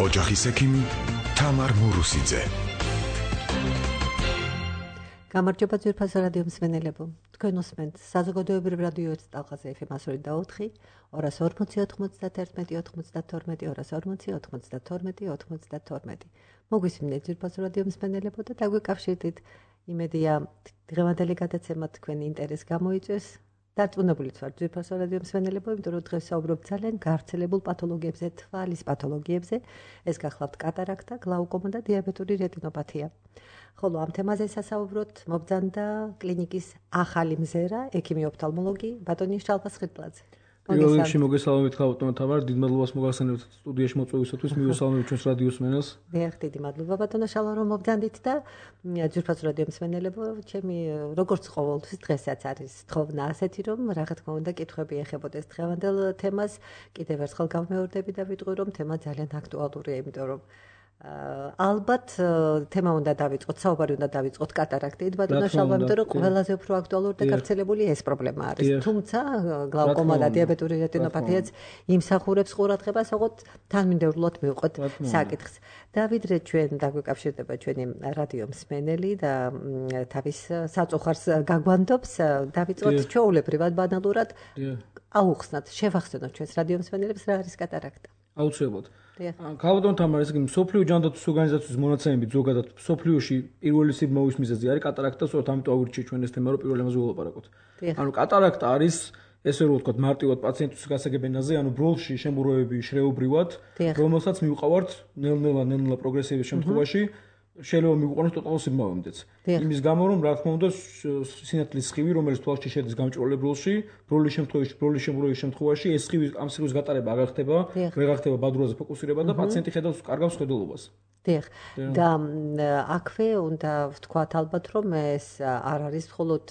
ოჯახის ექიმი თამარ მურუსიძე. გამარჯობა ძვირფასო რადიო მსმენელებო. თქვენ უსმენთ საზოგადოებრივ რადიო 1 ტალღაზე FM 102.4, 240-92, მოგვისმინეთ ძვირფასო რადიო მსმენელებო და დაგვიკავშირდით. იმედია დღევანდელი გადაცემა თქვენი ინტერესს გამოიწვევს. დარწმუნებულიც ვარ ძვირფასო რადიო მსმენელებო, იმიტომ რომ დღეს საუბრობთ ძალიან გავრცელებულ პათოლოგიებზე, თვალის პათოლოგიებზე. ეს გახლავთ კატარაქტა, გლაუკომა და დიაბეტური რეტინოპათია. ხოლო ამ თემაზე სასაუბროთ მობრძანდა კლინიკის ახალი მზერა, ექიმი ოფთალმოლოგი ბატონი შალვა სხირტლაძე. პირველ რიგში მოგესალმებით ხალხო, თამარ, დიდ მადლობას მოგახსენებთ სტუდიაში მოწვევისათვის, მივესალმებით ჩვენს რადიო მსმენელს. დიახ, დიდი მადლობა ბატონო შალვა, რომ მობრძანდით და ძვირფასო რადიო მსმენელებო, ჩემი როგორც ყოველთვის დღესაც არის თხოვნა ასეთი, რომ რა თქმა უნდა კითხვები ეხებოდეს დღევანდელ თემას. კიდევ ერთხელ გამეორდები და ვიტყვი, რომ თემა ძალიან აქტუალურია, იმიტომ რომ ალბათ თემა უნდა დავიწყოთ, საუბარი უნდა დავიწყოთ კატარაქტით, ბატონო შალვა, იმიტომ რომ ყველაზე უფრო აქტუალური და გავრცელებული ეს პრობლემა არის. თუმცა გლაუკომა და დიაბეტური რეტინოპათიაც იმსახურებს ყურადღებას, ოღონდ თანმიმდევრულად მივყოთ საკითხს. და ვიდრე ჩვენ დაგვიკავშირდება ჩვენი რადიო მსმენელი და თავის საწუხარს გაგვანდობს, დავიწყოთ ჩვეულებრივად ბანალურად აუხსნათ, შევახსენოთ ჩვენს რადიო მსმენელებს რა არის კატარაქტა. აუცილებლად. ქალბატონ თამარ, ესე იგი მსოფლიო ჯანდაცვის ორგანიზაციის მონაცემებით ზოგადად მსოფლიოში პირველი სიბმავის მიზეზი არის კატარაქტა, სწორედ ამიტომ აგვირჩიეთ ჩვენ ეს თემა, რომ პირველ ამაზე ვილაპარაკოთ. ანუ კატარაქტა არის ესე რომ ვთქვათ, მარტივად პაციენტის გასაგებ ენაზე, ანუ ბროლში შემურვებები შრეობრივად, რომელსაც მივყავართ ნელ-ნელა პროგრესიების შემთხვევაში შეიძლება მიგვიყვანოს ტოტალურ სიბმავემდეც. იმის გამო, რომ რა თქმა უნდა, სინათლის სხივი, რომელიც თვალში შედის გამჭვირვალე ბროლში, ბროლის შემურვების შემთხვევაში ეს სხივი ამ სხივის გატარება აღარ ხდება, ვერ ხდება ბადურაზე ფოკუსირება და პაციენტი ხედავს კარგავს ხედულობას. დიახ. და აქვე უნდა ვთქვათ ალბათ, რომ ეს არ არის მხოლოდ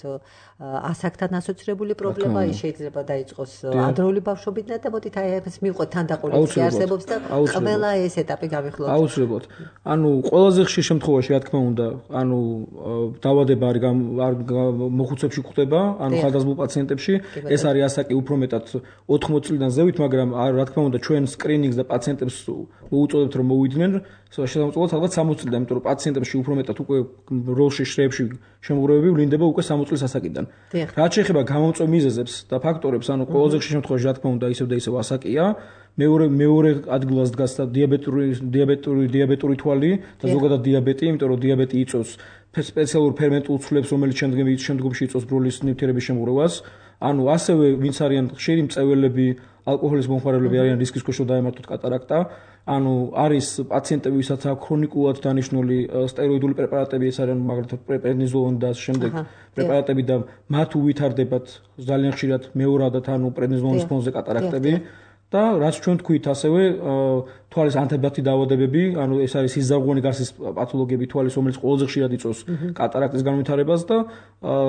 ასაკთან ასოცირებული პრობლემა, ის შეიძლება დაიწყოს ადრეული ბავშვობიდან და მოდით აი ეს მივყოთ თანდაყოლიც არსებობს და ყველა ეს ეტაპი გავიხსნათ. აუცილებლად. ანუ ყველაზე ხშირ შემთხვევაში, რა თქმა უნდა, ანუ დაავადება არ მოხუცებში გვხდება, ანუ ხარდაზმულ პაციენტებში, ეს არის ასაკი უფრო მეტად 80 წლიდან ზევით, მაგრამ რა თქმა უნდა, ჩვენ სკრინინგს და პაციენტებს უწოდებთ, რომ მოვიდნენ შესაძლოა ალბათ 60 წლიდან, იმიტომ რომ პაციენტებში უფრო მეტად უკვე როლში შრეებში შემურვებები ვლინდება უკვე 60 წლის ასაკიდან. რაც შეეხება გამომწვევ მიზეზებს და ფაქტორებს, ანუ ყველაზე ხშირ შემთხვევაში რა თქმა უნდა ისევ და ისევ ასაკია. მეორე ადგილას დგას დიაბეტური თვალი და ზოგადად დიაბეტი, იმიტომ რომ დიაბეტი იწვევს სპეციალურ ფერმენტულ ცვლილებს, რომელიც შემდგომში იწვევს ბროლის ნივთიერების შემურევას. ანუ ასევე ვინც არიან ხშირი მწეველები, ალკოჰოლის მომხმარებლები არიან რისკის ქვეშ, რომ დაემართოთ კატარაქტა. ანუ არის პაციენტები, ვისაც აქვს ქრონიკულად დანიშნული სტეროიდული პრეპარატები, ეს არიან მაგალითად პრედნიზოლონი და შემდეგ პრეპარატები და მათ უვითარდებათ ძალიან ხშირად მეორადად, ანუ პრედნიზოლონის ფონზე კატარაქტები. და რაც ჩვენ თქვით ასევე თვალის ანთებათი დაავადებები, ანუ ეს არის სიზარღვენი გარსის პათოლოგიები თვალის, რომელიც ყველაზე ხშირად იწვევს კატარაქტის განვითარებას და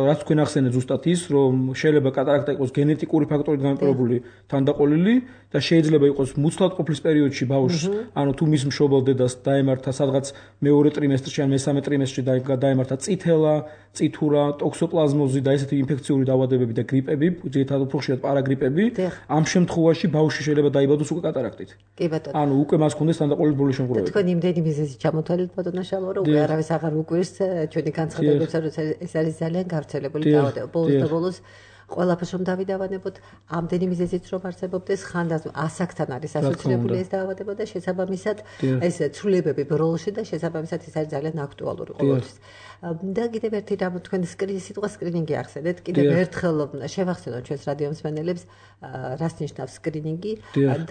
რაც თქვენ ახსენეთ ზუსტად ის, რომ შეიძლება კატარაქტა იყოს გენეტიკური ფაქტორით განპირობებული თანდაყოლილი და შეიძლება იყოს მუცლად ყოფნის პერიოდში ბავშვს, ანუ თუ მის მშობელ დედას დაემართა სადღაც მეორე ტრიმესტრში ან მესამე ტრიმესტრში დაემართა წითელა, წითურა, ტოქსოპლაზმოზი და ესეთი ინფექციური დაავადებები და გრიპები, ძირითადად უფრო ხშირად პარაგრიპები, ამ შემთხვევაში ბავშვი შეიძლება დაიბადოს უკვე კატარაქტით. კი ბატონო. ანუ უკვე მას ქონდეს თანდაყოლილი ბროლის შემურვება. თქვენ იმდენი მიზეზი ჩამოთვალეთ ბატონო შალვა, რომ უკვე არავის აღარ უკვირს ჩვენი განცხადებებს, რომ ეს არის ძალიან გავრცელებული დაავადება. ბოლოს და ბოლოს ყველაფერს რომ დავიდავანებოთ, ამდენი მიზეზით რომ არსებობდეს, ხანდაზმ ასაკთან არის ასოცირებული ეს დაავადება და შესაბამისად ეს ცვლილებები ბროლში და შესაბამისად ეს არის ძალიან აქტუალური ყოველთვის. და კიდევ ერთი რამ თქვენ სიტყვა სკრინინგი ახსენეთ, კიდევ ერთხელ შევახსენოთ ჩვენს რადიო მსმენელებს რას ნიშნავს სკრინინგი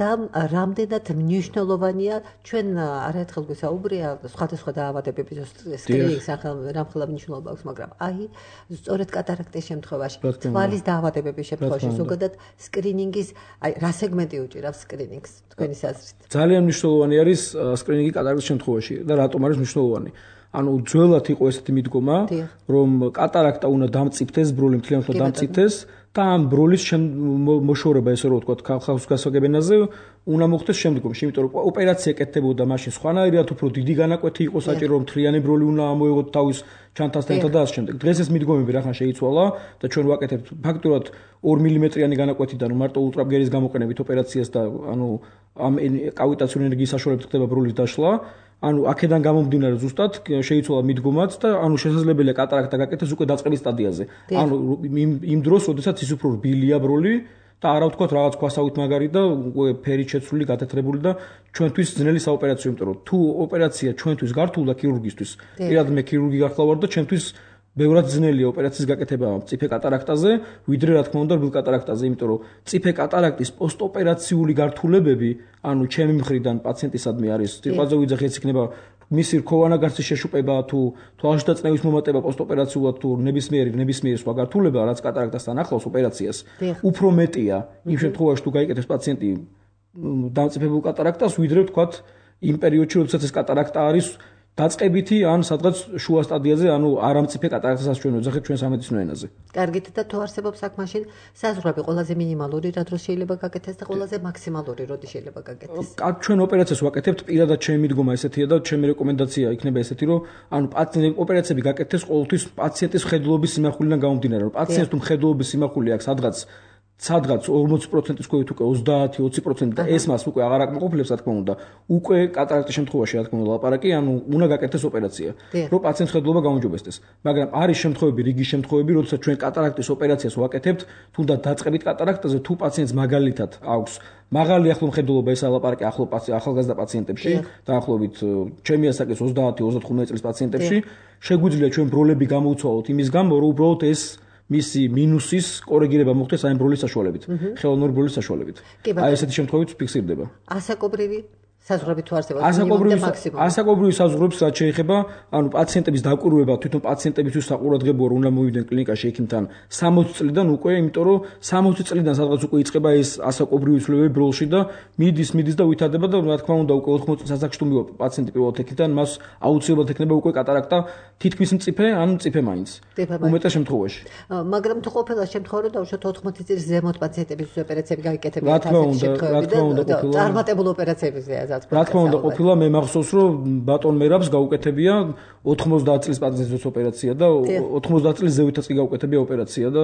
და რამდენად მნიშვნელოვანია ჩვენ არაერთხელ გვესაუბრია სხვადასხვა დაავადებების სკრინინგის რამხელა მნიშვნელობა აქვს, მაგრამ აი სწორედ კატარაქტის შემთხვევაში, თვალის დაავადებების შემთხვევაში ზოგადად სკრინინგის აი რა სეგმენტი უჭირავს სკრინინგს თქვენი აზრით? ძალიან მნიშვნელოვანი არის სკრინინგი კატარაქტის შემთხვევაში და რატომ არის მნიშვნელოვანი? ანუ ძველად იყო ესეთი მიდგომა, რომ კატარაქტა უნდა დამწიფდეს, ბროლი მთლიანად დამწიფდეს და ამ ბროლის მოშორება ესე რომ ვთქვათ ხალხის გასაგებენაზე უნდა მოხდეს შემდგომში, იმიტომ რომ ოპერაცია კეთდებოდა მაშინ სხვანაირად უფრო დიდი განაკვეთი იყო საჭირო, რომ მთლიანი ბროლი უნდა ამოეღოთ თავის ჩანთასთან და ასე შემდეგ. დღეს ეს მიდგომები რახან შეიცვალა და ჩვენ ვაკეთებთ ფაქტურად 2 მმ-იანი განაკვეთიდან მარტო ულტრაბგერის გამოყენებით ოპერაციას და ანუ ამ კავიტაციური ენერგიის საშუალებით ხდება ბროლის დაშლა. ანუ აქედან გამომდინარე ზუსტად შეიცვალა მიდგომაც და ანუ შესაძლებელია კატარაქტა გაკეთდეს უკვე დაწყების სტადიაზე. ანუ იმ დროს, როდესაც ის უფრო რბილია ბროლი და არა ვთქვათ რაღაც ქვასავით მაგარი და უკვე ფერით შეცვლილი, გათეთრებული და ჩვენთვის ძნელი საოპერაციო, იმიტომ რომ თუ ოპერაცია ჩვენთვის გართულდა ქირურგისთვის, პირადად მე ქირურგი გახლავ და ჩვენთვის ბევრად ძნელია ოპერაციის გაკეთება მწიფე კატარაქტაზე, ვიდრე რა თქმა უნდა რბილ კატარაქტაზე, იმიტომ რომ მწიფე კატარაქტის პოსტოპერაციული გართულებები, ანუ ჩემი მხრიდან პაციენტისადმი არის, სიტყვაზე ვიძახი, ეს იქნება მისი რქოვანაგარსის შეშუპება თუ თვალში და წნევის მომატება პოსტოპერაციულად თუ ნებისმიერი სხვა გართულება, რაც კატარაქტასთან ახლავს ოპერაციას, უფრო მეტია იმ შემთხვევაში თუ გაიკეთებს პაციენტი დამწიფებულ კატარაქტას, ვიდრე ვთქვათ იმ პერიოდში, როდესაც ეს კატარაქტა არის დაწყებითი ან სადღაც შუა სტადიაზე, ანუ არამწიფე კატარაქტასაც ჩვენ ვეძახით ჩვენ სამედიცინო ენაზე. კარგით და თუ არსებობს აქ მაშინ საზღვრები ყველაზე მინიმალური რა დროს შეიძლება გაკეთდეს და ყველაზე მაქსიმალური როდი შეიძლება გაკეთდეს? ჩვენ ოპერაციას ვაკეთებთ, პირადად ჩემი მიდგომა ესეთია და ჩემი რეკომენდაცია იქნება ესეთი, რომ ანუ ოპერაციები გაკეთდეს ყოველთვის პაციენტის მხედველობის სიმახვილიდან გამომდინარე, რომ პაციენტს თუ მხედველობის სიმახული აქვს სადღაც 40%-ის ქვევით უკვე 30-20% და ეს მას უკვე აღარ აკმაყოფილებს, რა თქმა უნდა, უკვე კატარაქტის შემთხვევაში, რა თქმა უნდა, ლაპარაკი, ანუ უნდა გაკეთდეს ოპერაცია, რომ პაციენტის მხედველობა გაუმჯობესდეს. მაგრამ არის შემთხვევები, რიგი შემთხვევები, როდესაც ჩვენ კატარაქტის ოპერაციას ვაკეთებთ, თუნდაც დაწყებით კატარაქტაზე, თუ პაციენტს მაგალითად აქვს მაღალი ახლო მხედველობა, ეს ლაპარაკი ახალგაზრდა პაციენტებში, დაახლოებით ჩემი ასაკის 30-35 წლის პაციენტებში, შეგვიძლია ჩვენ ბროლები გამოვცვალოთ იმის გამო, რომ უბრალოდ ეს მისი მინუსის კორეგირება მოხდეს აი ბროლის საშუალებით, ხელოვნური ბროლის საშუალებით. აი ესეთი შემთხვევით ფიქსირდება. ასაკობრივი საზღვრები თუ არსებობს მინიმუმ და მაქსიმუმ. ასაკობრივი საზღვრებს რაც შეეხება, ანუ პაციენტების დაკვირვება თვითონ პაციენტებისთვის საყურადღებოა, რომ უნდა მოვიდნენ კლინიკაში ექიმთან 60 წლიდან უკვე, იმიტომ რომ 60 წლიდან სადღაც უკვე იწყება ეს ასაკობრივი ცვლილებები ბროლში და მიდის და ვითარდება და რა თქმა უნდა უკვე 80 წლის ასაკში თუ მივა პაციენტი პირველად ექიმთან, მას აუცილებლად ექნება უკვე კატარაქტა თითქმის მწიფე ან მწიფე მაინც. უმეტეს შემთხვევაში. მაგრამ თუ ყოფილა შემთხვევა, რომ დავუშვათ 80 წლის ზემოთ პაციენტების ოპერაციები გაიკეთებიათ რა თქმა უნდა, წარმატებულ ოპერაციებზეა. რა თქმა უნდა ყოფილა მე მახსოვს რომ ბატონ მერაბს გაუკეთებია 90 წლის პაციენტის ოპერაცია და 90 წლის ზევითაც კი გაუკეთებია ოპერაცია და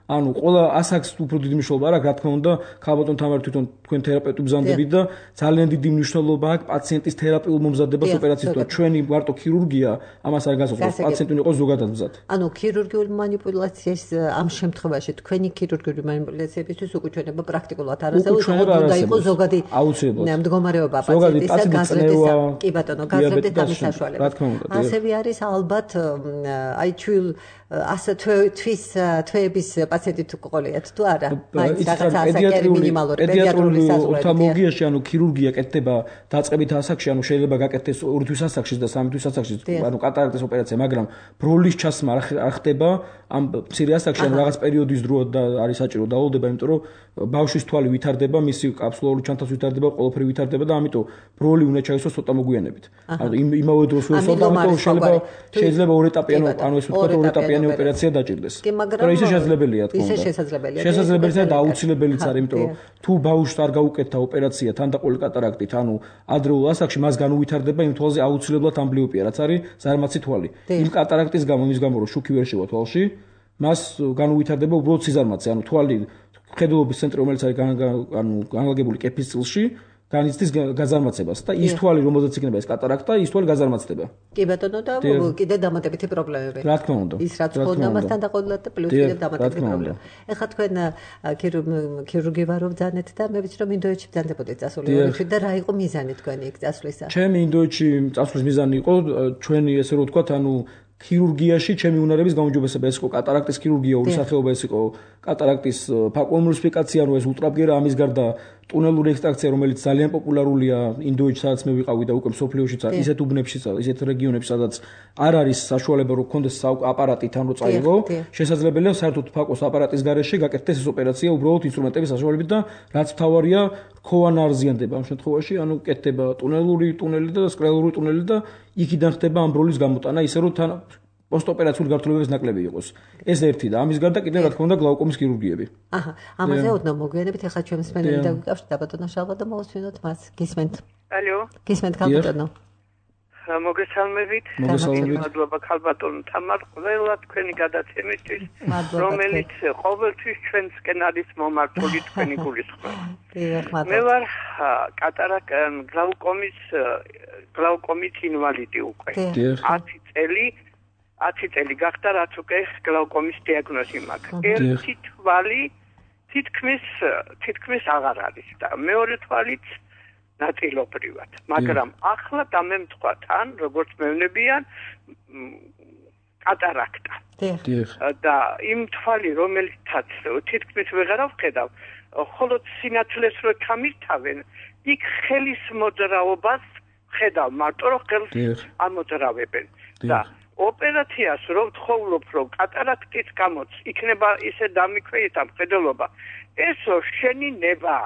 ანუ ყველა ასაკს უფრო დიდი მნიშვნელობა აქვს, რა თქმა უნდა, ქალბატონ თამარ თვითონ თქვენ თერაპევტი ბრძანდებით და ძალიან დიდი მნიშვნელობა აქვს პაციენტის თერაპიულ მომზადებას ოპერაციისთან. ჩვენი მარტო ქირურგია ამას არ გასაძლებს, პაციენტი იყოს ზოგადად მზად. ანუ ქირურგიული манипуляციის ამ შემთხვევაში თქვენი ქირურგიული манипуляციებისთვის უკუჩვენება პრაქტიკულად არ არსებობს, უნდა იყოს ზოგადი მდგომარეობა პაციენტისა გაზრდისა. კი ბატონო, გაზრდით ამის საშუალებით. ასევე არის ალბათ აი ასე თვეების პაციენტი თუ ყოლიათ თუ არა, მაინც რაღაც ასაკი მინიმალური პედიატრიული საზღვრები. ოფთალმოლოგიაში ანუ ქირურგია კეთდება დაწყებით ასაკში, ანუ შეიძლება გაკეთდეს 2 თვის ასაკში და 3 თვის ასაკში, ანუ კატარაქტის ოპერაცია, მაგრამ ბროლის ჩასმა არ ხდება ამ მცირე ასაკში, ანუ რაღაც პერიოდის დრო და არის საჭირო დაავადება, იმიტომ რომ ბავშვის თვალი ვითარდება, მისი კაფსულური ჩანთაც ვითარდება, ყველაფერი ვითარდება და ამიტომ ბროლი უნდა ჩაისვას ცოტა მოგვიანებით. ანუ იმავე დროს ვესვლა, ამიტომ შეიძლება 2 ეტაპიანი, ანუ ეს ვთქვათ 2 ეტაპიანი ოპერაცია დაჭირდეს. მაგრამ ისე შესაძლებელია, თქო. ისე შესაძლებელია. შესაძლებელია და აუცილებელიც არის, იმიტომ რომ თუ ბავშვს არ გაუკეთდა ოპერაცია თანდაყოლი კატარაქტით, ანუ ადრეულ ასაკში მას განუვითარდება იმ თვალზე აუცილებლად ამბლიოპია, რაც არის ზარმაცი თვალი. იმ კატარაქტის გამო, იმის გამო რომ შუქი ვერ შევა თვალში, მას განუვითარდება უბრალოდ სიზარმაცე, ანუ თვალი მხედველობის ცენტრი, რომელიც არის ანუ განლაგებული კეფის წილში, განიცდის გაზარმაცებას და ის თვალი, რომელზეც იქნება ეს კატარაქტა, ის თვალი გაზარმაცდება. კი ბატონო და კიდე დამატებითი პრობლემები. რა თქმა უნდა. ის რაც ხონდა მასთან დაყოლილად და პლუს კიდე დამატებითი პრობლემა. ეხლა თქვენ ქირურგი ვარ ბრძანეთ და მე ვიცი რომ ინდოეთში ბრძანდებოდეთ წასული ორში და რა იყო მიზანი თქვენი იქ წასვლისა? ჩემი ინდოეთში წასვლის მიზანი იყო ჩვენი ესე რომ ვთქვათ, ანუ ქირურგიაში ჩემი უნარების გაუმჯობესება. ეს იყო კატარაქტის ქირურგია, ორი სახეობა, ეს იყო კატარაქტის ფაკულმულტიფიკაცია, ანუ ეს ულტრაბგერა, ამის გარდა ტუნელური ექსტრაქცია, რომელიც ძალიან პოპულარულია ინდოეთში, სადაც მე ვიყავი და უკვე მსოფლიოშიც არის, ისეთ უბნებშიც, ისეთ რეგიონებში, სადაც არ არის საშუალება, რომ გქონდეს აპარატი თან რო წაიღო, შესაძლებელია საერთოდ ფაკოს აპარატის გარეშე გაკეთდეს ეს ოპერაცია უბრალოდ ინსტრუმენტების საშუალებით და რაც მთავარია, რქოვანა არზიანდება ამ შემთხვევაში, ანუ კეთდება ტუნელი და სკრელური ტუნელი და იქიდან ხდება ამბროლის გამოტანა, ისე რომ თან პოსტოპერაციული გართულებების ნაკლები იყოს. ეს ერთი და ამის გარდა კიდევ რა თქმა უნდა გლაუკომის ქირურგიები. აჰა, ამაზე ოდნავ მოგვიანებით ახლა ჩვენ მსმენელი დაგვიკავშირდა ბატონო შალვა და მოვუსმინოთ მას. გისმენთ? ალო. გისმენთ ქალბატონო? მოგესალმებით. მადლობა ქალბატონო თამარ ყველა თქვენი გადაცემისთვის, რომელიც ყოველთვის ჩვენსკენ არის მომართული თქვენი გულისხმობა. მე ვარ გლაუკომის ინვალიდი უკვე. 10 წელი გახდა რაც უკვე გლაუკომის დიაგნოზი მაქვს. ერთი თვალი თითქმის აღარ არის და მეორე თვალიც ნაწილობრივად, მაგრამ ახლა დამემთხვა თან, როგორც მევნებიან, კატარაქტა. და იმ თვალი, რომელიცაც თითქმის ვეღარავ ხედავ, ხოლო სინათლეს რო ჩამირთავენ, იქ ხელის მოძრაობას ხედავ, მარტო რომ ხელს ამოძრავებენ. და ოპერაციას რო ვთხოვლობ, რომ კატარაქტის გამოც იქნება ისე დამიქვეითა მხედველობა, ესო შენი ნება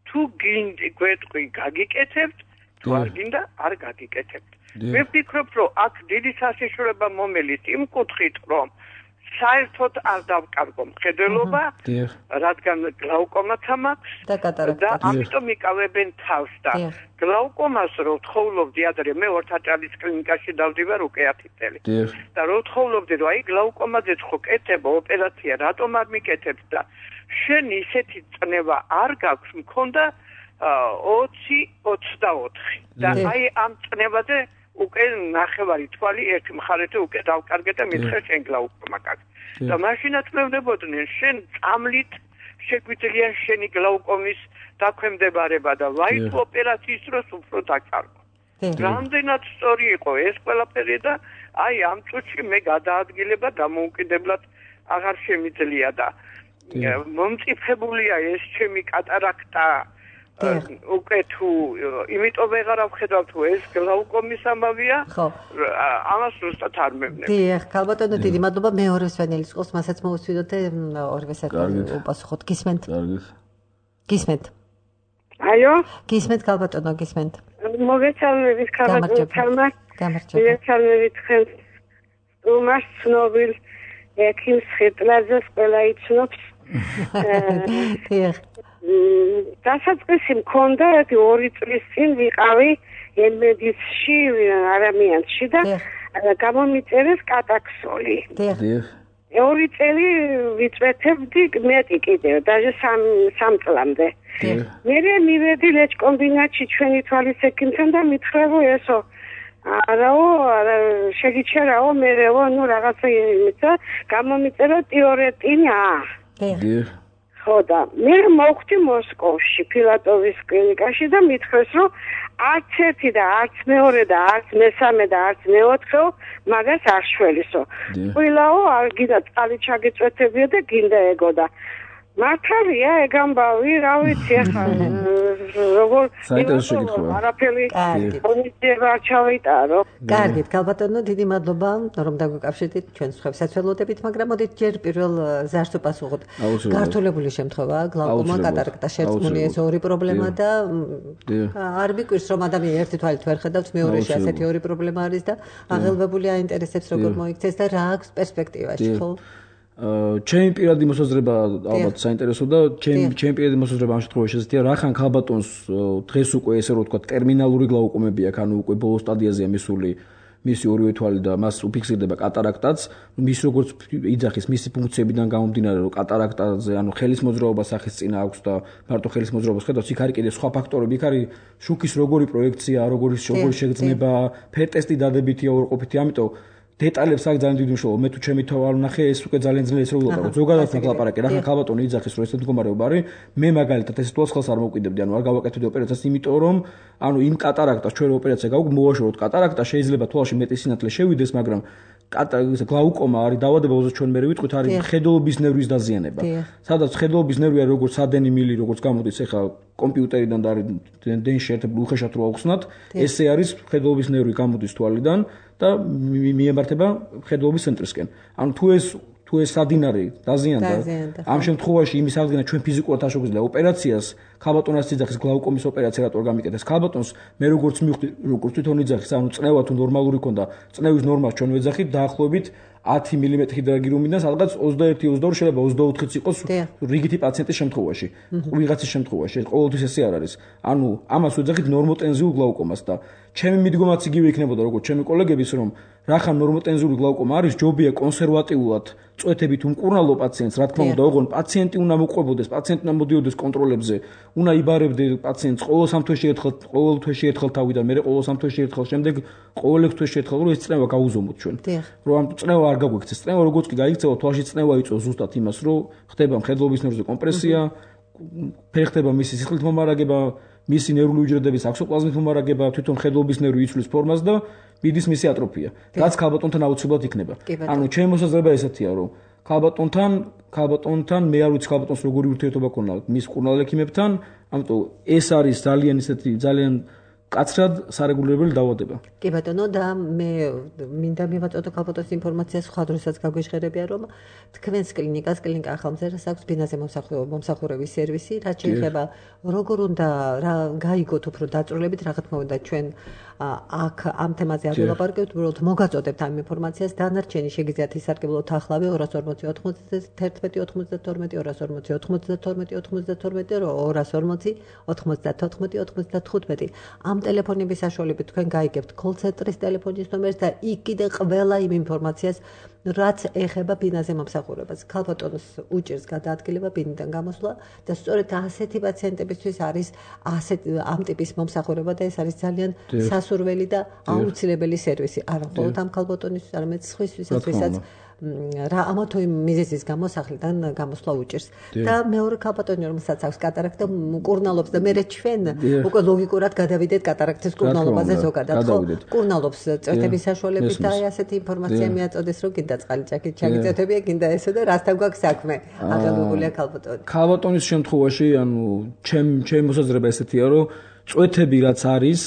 თუ გინდი გვეტყვი გაგიკეთებთ, თუ არ გინდა არ გაგიკეთებთ. მე ვფიქრობ, რომ აქ დიდი საშიშროება მომელის იმ კუთხით, რომ საერთოდ არ დავკარგო მხედველობა, რადგან გლაუკომაც მაქვს და ამიტომ იკავებენ თავს და გლაუკომას რო ვთხოვლობდი ადრე მე ორთაჭალის კლინიკაში დავდივარ უკვე 10 წელი. და რო ვთხოვლობდი, რომ აი გლაუკომაზეც ხო კეთება ოპერაცია, რატომ არ მიკეთებ და შენ ისეთი წნევა არ გაქვს, მქონდა 20-24 და აი ამ წნევაზე უკვე ნახევარი თვალი ერთ მხარეზე უკვე დავკარგე და მithre შენ გლაუკომა გაქვს. და მაშინაც მე ვნებოდნენ შენ წამლით შეგვიძლია შენი გლაუკომის დაქვემდებარება და ვაი თუ ოპერაციის დროს უფრო დაკარგო. რამდენად სწორი იყო ეს ყველაფერი და აი ამ წუთში მე გადაადგილება დამოუკიდებლად აღარ შემიძლია და მომწიფებულია ეს ჩემი კატარაქტა უკვე თუ იმიტომ ვეღარავ ხედავ თუ ეს გლაუკომის ამბავია ამას ზუსტად არ მევნებ. დიახ, ქალბატონო დიდი მადლობა მეორე სვენელის ყოს მასაც მოვუსვიდოთ და ორივე საერთოდ უპასუხოთ. გისმენთ? გისმენთ? ალო? გისმენთ ქალბატონო, გისმენთ? მოგესალმებით ქალბატონო თამარ. მოგესალმებით ხელს უმას ცნობილ ექიმს ხეტლაძეს ყველა იცნობს. დიახ. დასაწყისი მქონდა 2 წლის წინ ვიყავი ემედიცში არამიანში და გამომიწერეს კატაქსოლი. 2 წელი ვიწვეთებდი მეტი კიდევ, даже 3 წლამდე. მე მივედი ლეჩკომბინატში ჩვენი თვალის ექიმთან და მითხრევო ესო არაო, შეგიჩერაო, მერეო, ნუ რაღაცა იმისა, გამომიწერო ტიორეტინა. ხო და მე მოვხვდი მოსკოვში, ფილატოვის კლინიკაში და მითხრეს, რომ არც ერთი და არც მეორე და არც მესამე და არც მეოთხეო მაგას არ შველისო. ყველაო არ გინდა წყალი ჩაგეწვეთებია და გინდა ეგო და მართალია ეგ ამბავი, რა ვიცი ახლა როგორ არაფერი კონიტება ჩავიტარო. კარგით, ქალბატონო, დიდი მადლობა, რომ დაგვიკავშირდით ჩვენს სხვებსაც ველოდებით, მაგრამ მოდით ჯერ პირველ ზარს ვპასუხოთ. გართულებული შემთხვევა, გლაუკომა, კატარაქტა, შერწყმული ეს ორი პრობლემა და არ მიკვირს რომ ადამიანი ერთი თვალით ვერ ხედავს, მეორეში ასეთი ორი პრობლემა არის და აღელვებული აინტერესებს როგორ მოიქცეს და რა აქვს პერსპექტივაში, ხო? ჩემი პირადი მოსაზრება ალბათ საინტერესო და ჩემი პირადი მოსაზრება ამ შემთხვევაში ესეთია, რახან ქალბატონს დღეს უკვე ესე რომ ვთქვა ტერმინალური გლაუკომები აქვს, ანუ უკვე ბოლო სტადიაზეა მისული მისი ორივე თვალი და მას უფიქსირდება კატარაქტაც, მის როგორც იძახის მისი ფუნქციებიდან გამომდინარე, რომ კატარაქტაზე, ანუ ხელის მოძრაობა სახის წინა აქვს და მარტო ხელის მოძრაობას ხედავს, იქ არის კიდე სხვა ფაქტორები, იქ არის შუქის როგორი პროექცია, როგორი შეგრძნება, ფერ ტესტი დადებითია, უარყოფითია, ამიტომ დეტალებს აქ ძალიან დიდი მნიშვნელობა. მე თუ ჩემი თავი არ ვნახე, ეს უკვე ძალიან ძნელი ისროლა. ზოგადად მაგლაპარაკე, რა ხალბატონი იძახის, რომ ესეთ მდგომარეობა არის. მე მაგალითად ეს თვალს ხელს არ მოვკვიდებდი, ანუ არ გავაკეთებდი ოპერაციას, იმიტომ რომ ანუ იმ კატარაქტას ჩვენ ოპერაცია მოვაშოროთ კატარაქტა შეიძლება თვალში მეტი სინათლე შევიდეს, მაგრამ გლაუკომა არის დაავადება, როდესაც ჩვენ მე ვიტყვით, არის ხედულობის ნერვის დაზიანება. სადაც ხედულობის ნერვი არის როგორც ადენი მილი, როგორც გამოდის ახლა კომპიუტერიდან და არის დენში ერთად უხეშად რო ავხსნათ, ესე არის ხედულობის ნერვი გამოდის თვალიდან და მიემართება ხედულობის ცენტრისკენ. ანუ თუ ეს სადინარი დაზიანდა, ამ შემთხვევაში იმის აღდგენა ჩვენ ფიზიკურად არ შეგვიძლია ოპერაციას, ხალბატონას იძახის გლაუკომის ოპერაცია რატო არ გამიკეთეს ხალბატონს, მე როგორც მივხვდი, როგორც თვითონ იძახის, ანუ წნევა თუ ნორმალური ქონდა, წნევის ნორმას ჩვენ ვეძახით დაახლოებით 10 მმ ჰიდროგირუმიდან სადღაც 21-22 შეიძლება 24-იც იყოს რიგითი პაციენტის შემთხვევაში, ვიღაცის შემთხვევაში, ეს ყოველთვის ესე არ არის. ანუ ამას ვეძახით ნორმოტენზიურ გლაუკომას და ჩემი მიდგომაც იგივე იქნებოდა როგორც ჩემი კოლეგების, რომ რახან ნორმოტენზიური გლაუკომა არის, ჯობია კონსერვატიულად წვეთებით უმკურნალო პაციენტს, რა თქმა უნდა, ოღონდ პაციენტი უნდა მოყვებოდეს, პაციენტი უნდა მოდიოდეს კონტროლებზე, უნდა იბარებდე პაციენტს ყოველ 3 თვეში ერთხელ, ყოველ თვეში ერთხელ თავიდან, მერე ყოველ 3 თვეში ერთხელ, შემდეგ ყოველ 6 თვეში ერთხელ, რომ ეს წნევა გაუზომოთ ჩვენ. რომ ამ წნევა არ გაგვექცეს. წნევა როგორც კი გაიქცევა, თვალში წნევა იწვევს ზუსტად იმას, რომ ხდება მხედველობის ნერვზე კომპრესია, ფერხდება მისი სისხლით მომარაგება, მისი ნერვული უჯრედების აქსოპლაზმით მომარაგება, თვითონ ხედულობის ნერვი იცვლის ფორმას და მიდის მისი ატროფია. რაც ხალბატონთან აუცილებლად იქნება. ანუ ჩემი მოსაზრება ესეთია, რომ ხალბატონთან მე არ ვიცი ხალბატონს როგორი ურთიერთობა ქონდა მის მკურნალ ექიმებთან, ამიტომ ეს არის ძალიან ისეთი ძალიან კაცრად სარეგულირებელი დაავადება. კი ბატონო, და მე მინდა მივაწოდო ხალბატონის ინფორმაციას, სხვა დროსაც გაგვეშღერებია, რომ თქვენს კლინიკას, კლინიკა ახალმზერას აქვს ბინაზე მომსახურების სერვისი, რაც შეიძლება როგორ უნდა რა გაიგოთ უფრო დაწვრილებით, რა თქმა უნდა ჩვენ აქ ამ თემაზე არ ვილაპარაკებთ, უბრალოდ მოგაწოდებთ ამ ინფორმაციას, დანარჩენი შეგიძლიათ ისარგებლოთ ახლავე 240 91 92 240 92 92 240 94 95 ამ ტელეფონების საშუალებით თქვენ გაიგებთ კოლ-ცენტრის ტელეფონის ნომერს და იქ კიდე ყველა იმ ინფორმაციას, რაც ეხება ბინაზე მომსახურებას. ხალბატონს უჭირს გადაადგილება ბინიდან გამოსვლა და სწორედ ასეთი პაციენტებისთვის არის ამ ტიპის მომსახურება და ეს არის ძალიან სასურველი და აუცილებელი სერვისი. არა მხოლოდ ამ ხალბატონისთვის, არამედ სხვისთვისაც, ვისაც რა ამა თუ იმ მიზეზის გამო სახლიდან გამოსვლა უჭირს. და მეორე ხალბატონი, რომელსაც აქვს კატარაქტა, მკურნალობს და მერე ჩვენ უკვე ლოგიკურად გადავიდეთ კატარაქტის მკურნალობაზე ზოგადად. ხო, მკურნალობს წვეთების საშუალებით და ასეთი ინფორმაცია მიაწოდეს, რომ კიდე წყალჭაქით ჩაგიწევთებია, კიდე ესო და რასთან გვაქვს საქმე. აღადგურებულია ხალბატონი. ხალბატონის შემთხვევაში, ანუ ჩემი მოსაზრება ესეთია, რომ წვეთები რაც არის,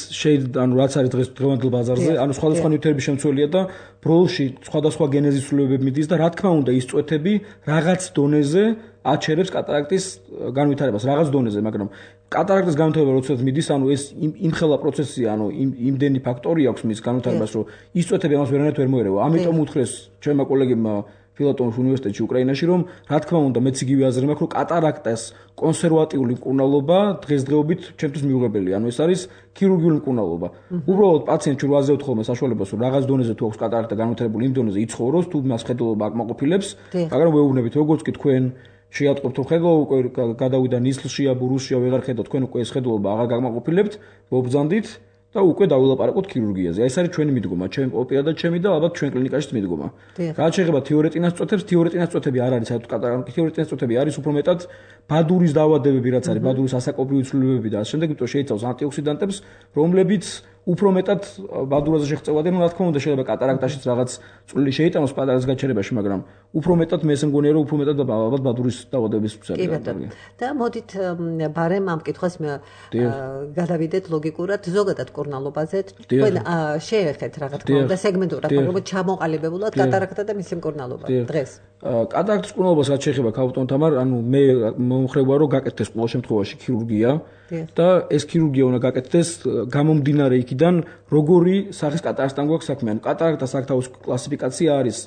ანუ რაც არის დღევანდელ ბაზარზე, ანუ სხვადასხვა ნივთიერების შემცველია და ბროლში სხვადასხვა გენეზის ცვლილებები მიდის და რა თქმა უნდა ის წვეთები რაღაც დონეზე აჩერებს კატარაქტის განვითარებას, რაღაც დონეზე, მაგრამ კატარაქტის განვითარება როდესაც მიდის, ანუ ეს იმხელა პროცესია, ანუ იმდენი ფაქტორი აქვს მის განვითარებას, რომ ის წვეთები ამას ვერანაირად ვერ მოერევა. ამიტომ უთხრეს ჩემმა კოლეგებმა ფილატონის უნივერსიტეტში უკრაინაში, რომ რა თქმა უნდა მეც იგივე აზრი მაქვს, რომ კატარაქტას კონსერვატიული მკურნალობა დღესდღეობით ჩემთვის მიუღებელია. ანუ ეს არის ქირურგიული მკურნალობა. უბრალოდ პაციენტს რომ ვაზევთ ხოლმე საშუალებას, რომ რაღაც დონეზე თუ აქვს კატარაქტა განვითარებული, იმ დონეზე იცხოვროს, თუ მას ხედულობა აკმაყოფილებს, მაგრამ ვეუბნებით, როგორც კი თქვენ შეატყობთ, რომ ხედულობა უკვე გადავიდა ნისლშია, ბურუსშია, ვეღარ ხედავთ, თქვენ უკვე ეს ხედულობა აღარ გაკმაყოფილებთ, მობრძანდით და უკვე დავილაპარაკოთ ქირურგიაზე. ეს არის ჩვენი მიდგომა, ჩემი პირადად ჩემი და ალბათ ჩვენ კლინიკაშიც მიდგომა. რაც შეეხება თიორეტინას წვეთებს, თიორეტინას წვეთები არ არის საერთოდ კატარაქტა, თიორეტინას წვეთები არის უფრო მეტად ბადურის დაავადებები, რაც არის ბადურის ასაკობრივი ცვლილებები და ამ შემდეგ იმიტომ შეიცავს ანტიოქსიდანტებს, რომლებიც უფრო მეტად ბადურაზე შეღწევადენ, რა თქმა უნდა შეიძლება კატარაქტაშიც რაღაც წვლილი შეიტანოს პატარას გაჩერებაში, მაგრამ უფრო მეტად მე მგონია რომ უფრო მეტად ალბათ ბადურის დაავადების მსხვერპლია. და მოდით ბარემ ამ კითხვას გადავიდეთ ლოგიკურად ზოგადად მკურნალობაზე. თქვენ შეეხეთ რა თქმა უნდა სეგმენტურად, მაგრამ ჩამოყალიბებულად კატარაქტა და მისი მკურნალობა დღეს. კატარაქტის მკურნალობას რაც შეეხება ხალბატონ თამარ, ანუ მე მომხრევა რომ გაკეთდეს ყოველ შემთხვევაში ქირურგია და ეს ქირურგია უნდა გაკეთდეს გამომდინარე იქიდან როგორი სახის კატარაქტთან გვაქვს საქმე. ანუ კატარაქტას აქ თავის კლასიფიკაცია არის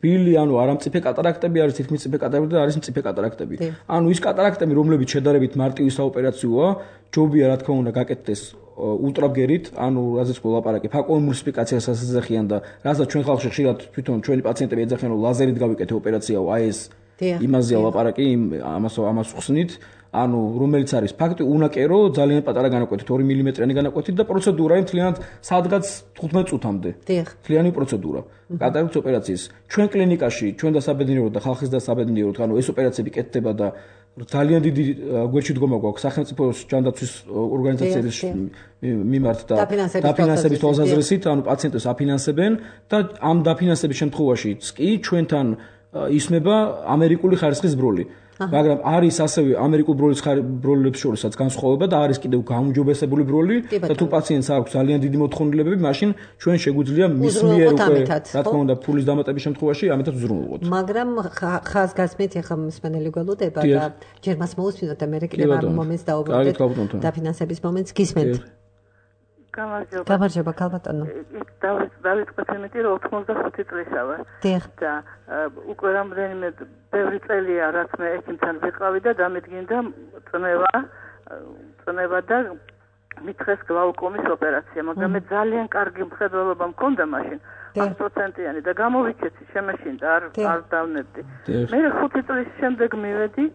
ბილი, ანუ არამწიფე კატარაქტები არის, თითქმის წიფე კატარაქტები და არის მწიფე კატარაქტები. ანუ ის კატარაქტები, რომლებიც შედარებით მარტივი საოპერაციოა, ჯობია რა თქმა უნდა გაკეთდეს ულტრაბგერით, ანუ რაზეც ვილაპარაკე, ფაკოემულსიფიკაციას ასეძახიან და რასაც ჩვენ ხალხში ხშირად თვითონ ჩვენი პაციენტები ეძახიან, რომ ლაზერით გავიკეთე ოპერაციაო, აი ეს იმაზეა ლაპარაკი, ამას ხსნით. ანუ რომელიც არის ფაქტი უნაკერო ძალიან პატარა განაკვეთით 2 მმ-იანი განაკვეთით და პროცედურა მთლიანად სადღაც 15 წუთამდე. მთლიანი პროცედურა. კატარაქტის ოპერაციის ჩვენ კლინიკაში, ჩვენ დასაბედნიეროდ და ხალხის დასაბედნიეროდ, ანუ ეს ოპერაციები კეთდება და ძალიან დიდი გვერდში დგომა გვაქვს სახელმწიფო ჯანდაცვის ორგანიზაციების მიმართ და დაფინანსების თვალსაზრისით, ანუ პაციენტებს აფინანსებენ და ამ დაფინანსების შემთხვევაშიც კი ჩვენთან ისმება ამერიკული ხარისხის ბროლი. მაგრამ არის ასევე ამერიკულ ბროლებს შორისაც განსხვავება და არის კიდევ გაუმჯობესებული ბროლი და თუ პაციენტს აქვს ძალიან დიდი მოთხოვნილებები, მაშინ ჩვენ შეგვიძლია მის მიერ უკვე რა თქმა უნდა ფულის დამატების შემთხვევაში ამითაც უზრუნველყოთ. მაგრამ ხაზგასმით ახლა მსმენელი გველოდება და ჯერ მას მოусმინოთ და მე კიდევ ამ მომენტს დაუბრუნდეთ დაფინანსების მომენტს გისმენთ. გამარჯობა ქალბატონო. დავიწყოთ იმით რომ 85 წლისა ვარ. და უკვე რამდენიმე ბევრი წელია რაც მე ექიმთან ვიყავი და დამედგინდა წნევა და მითხეს გლაუკომის ოპერაცია, მაგრამ მე ძალიან კარგი მხედველობა მქონდა მაშინ 100%-იანი და გამოვიქეცი შემეშინდა არ დავნებდი. მე 5 წლის შემდეგ მივედი,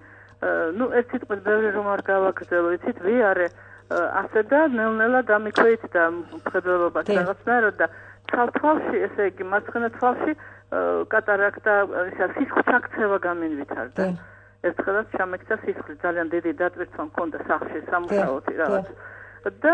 ერთ სიტყვით ბევრი რომ არ გავაგრძელო, იცით ვიარე ასე და ნელ-ნელა დამიქვეით და მხედველობაში რაღაცნაირად და თვალში, ესე იგი მარცხენა თვალში კატარაქტა, სისხლის ჩაქცევა გამენვითარდა. ერთხელაც ჩამექცა სისხლი, ძალიან დიდი დატვირთვა მქონდა სახლში, სამუშაოთი რაღაც. და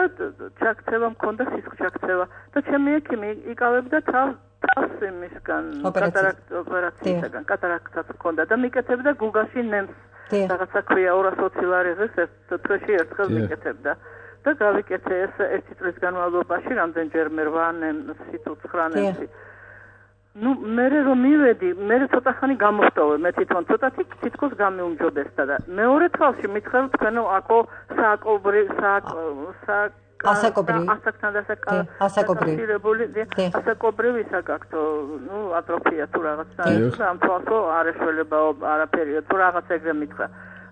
ჩაქცევა მქონდა, სისხლის ჩაქცევა და ჩემი ექიმი იკავებდა თავს იმისგან, ოპერაციისგან, კატარაქტაც მქონდა და მიკეთებდა გუგაში ნემს. რაღაცა ქვია 220 ლარიღის თვეში ერთხელ მიკეთებდა და გავიკეთე ეს 1 წლის განმავლობაში რამდენჯერ მე 8 ნემსი თუ 9 ნემსი. მე რომ მივედი, მე ცოტა ხანი გამოვტოვე, მე თვითონ ცოტათი თითქოს გამეუმჯობესდა და მეორე თვალში მითხრა თქვენო აკო ასაკობრივი საგაქვთ, ატროფია თუ რაღაცა, ამ თვალსო არ ეშველება არაფერი, თუ რაღაც ეგრე მითხრა.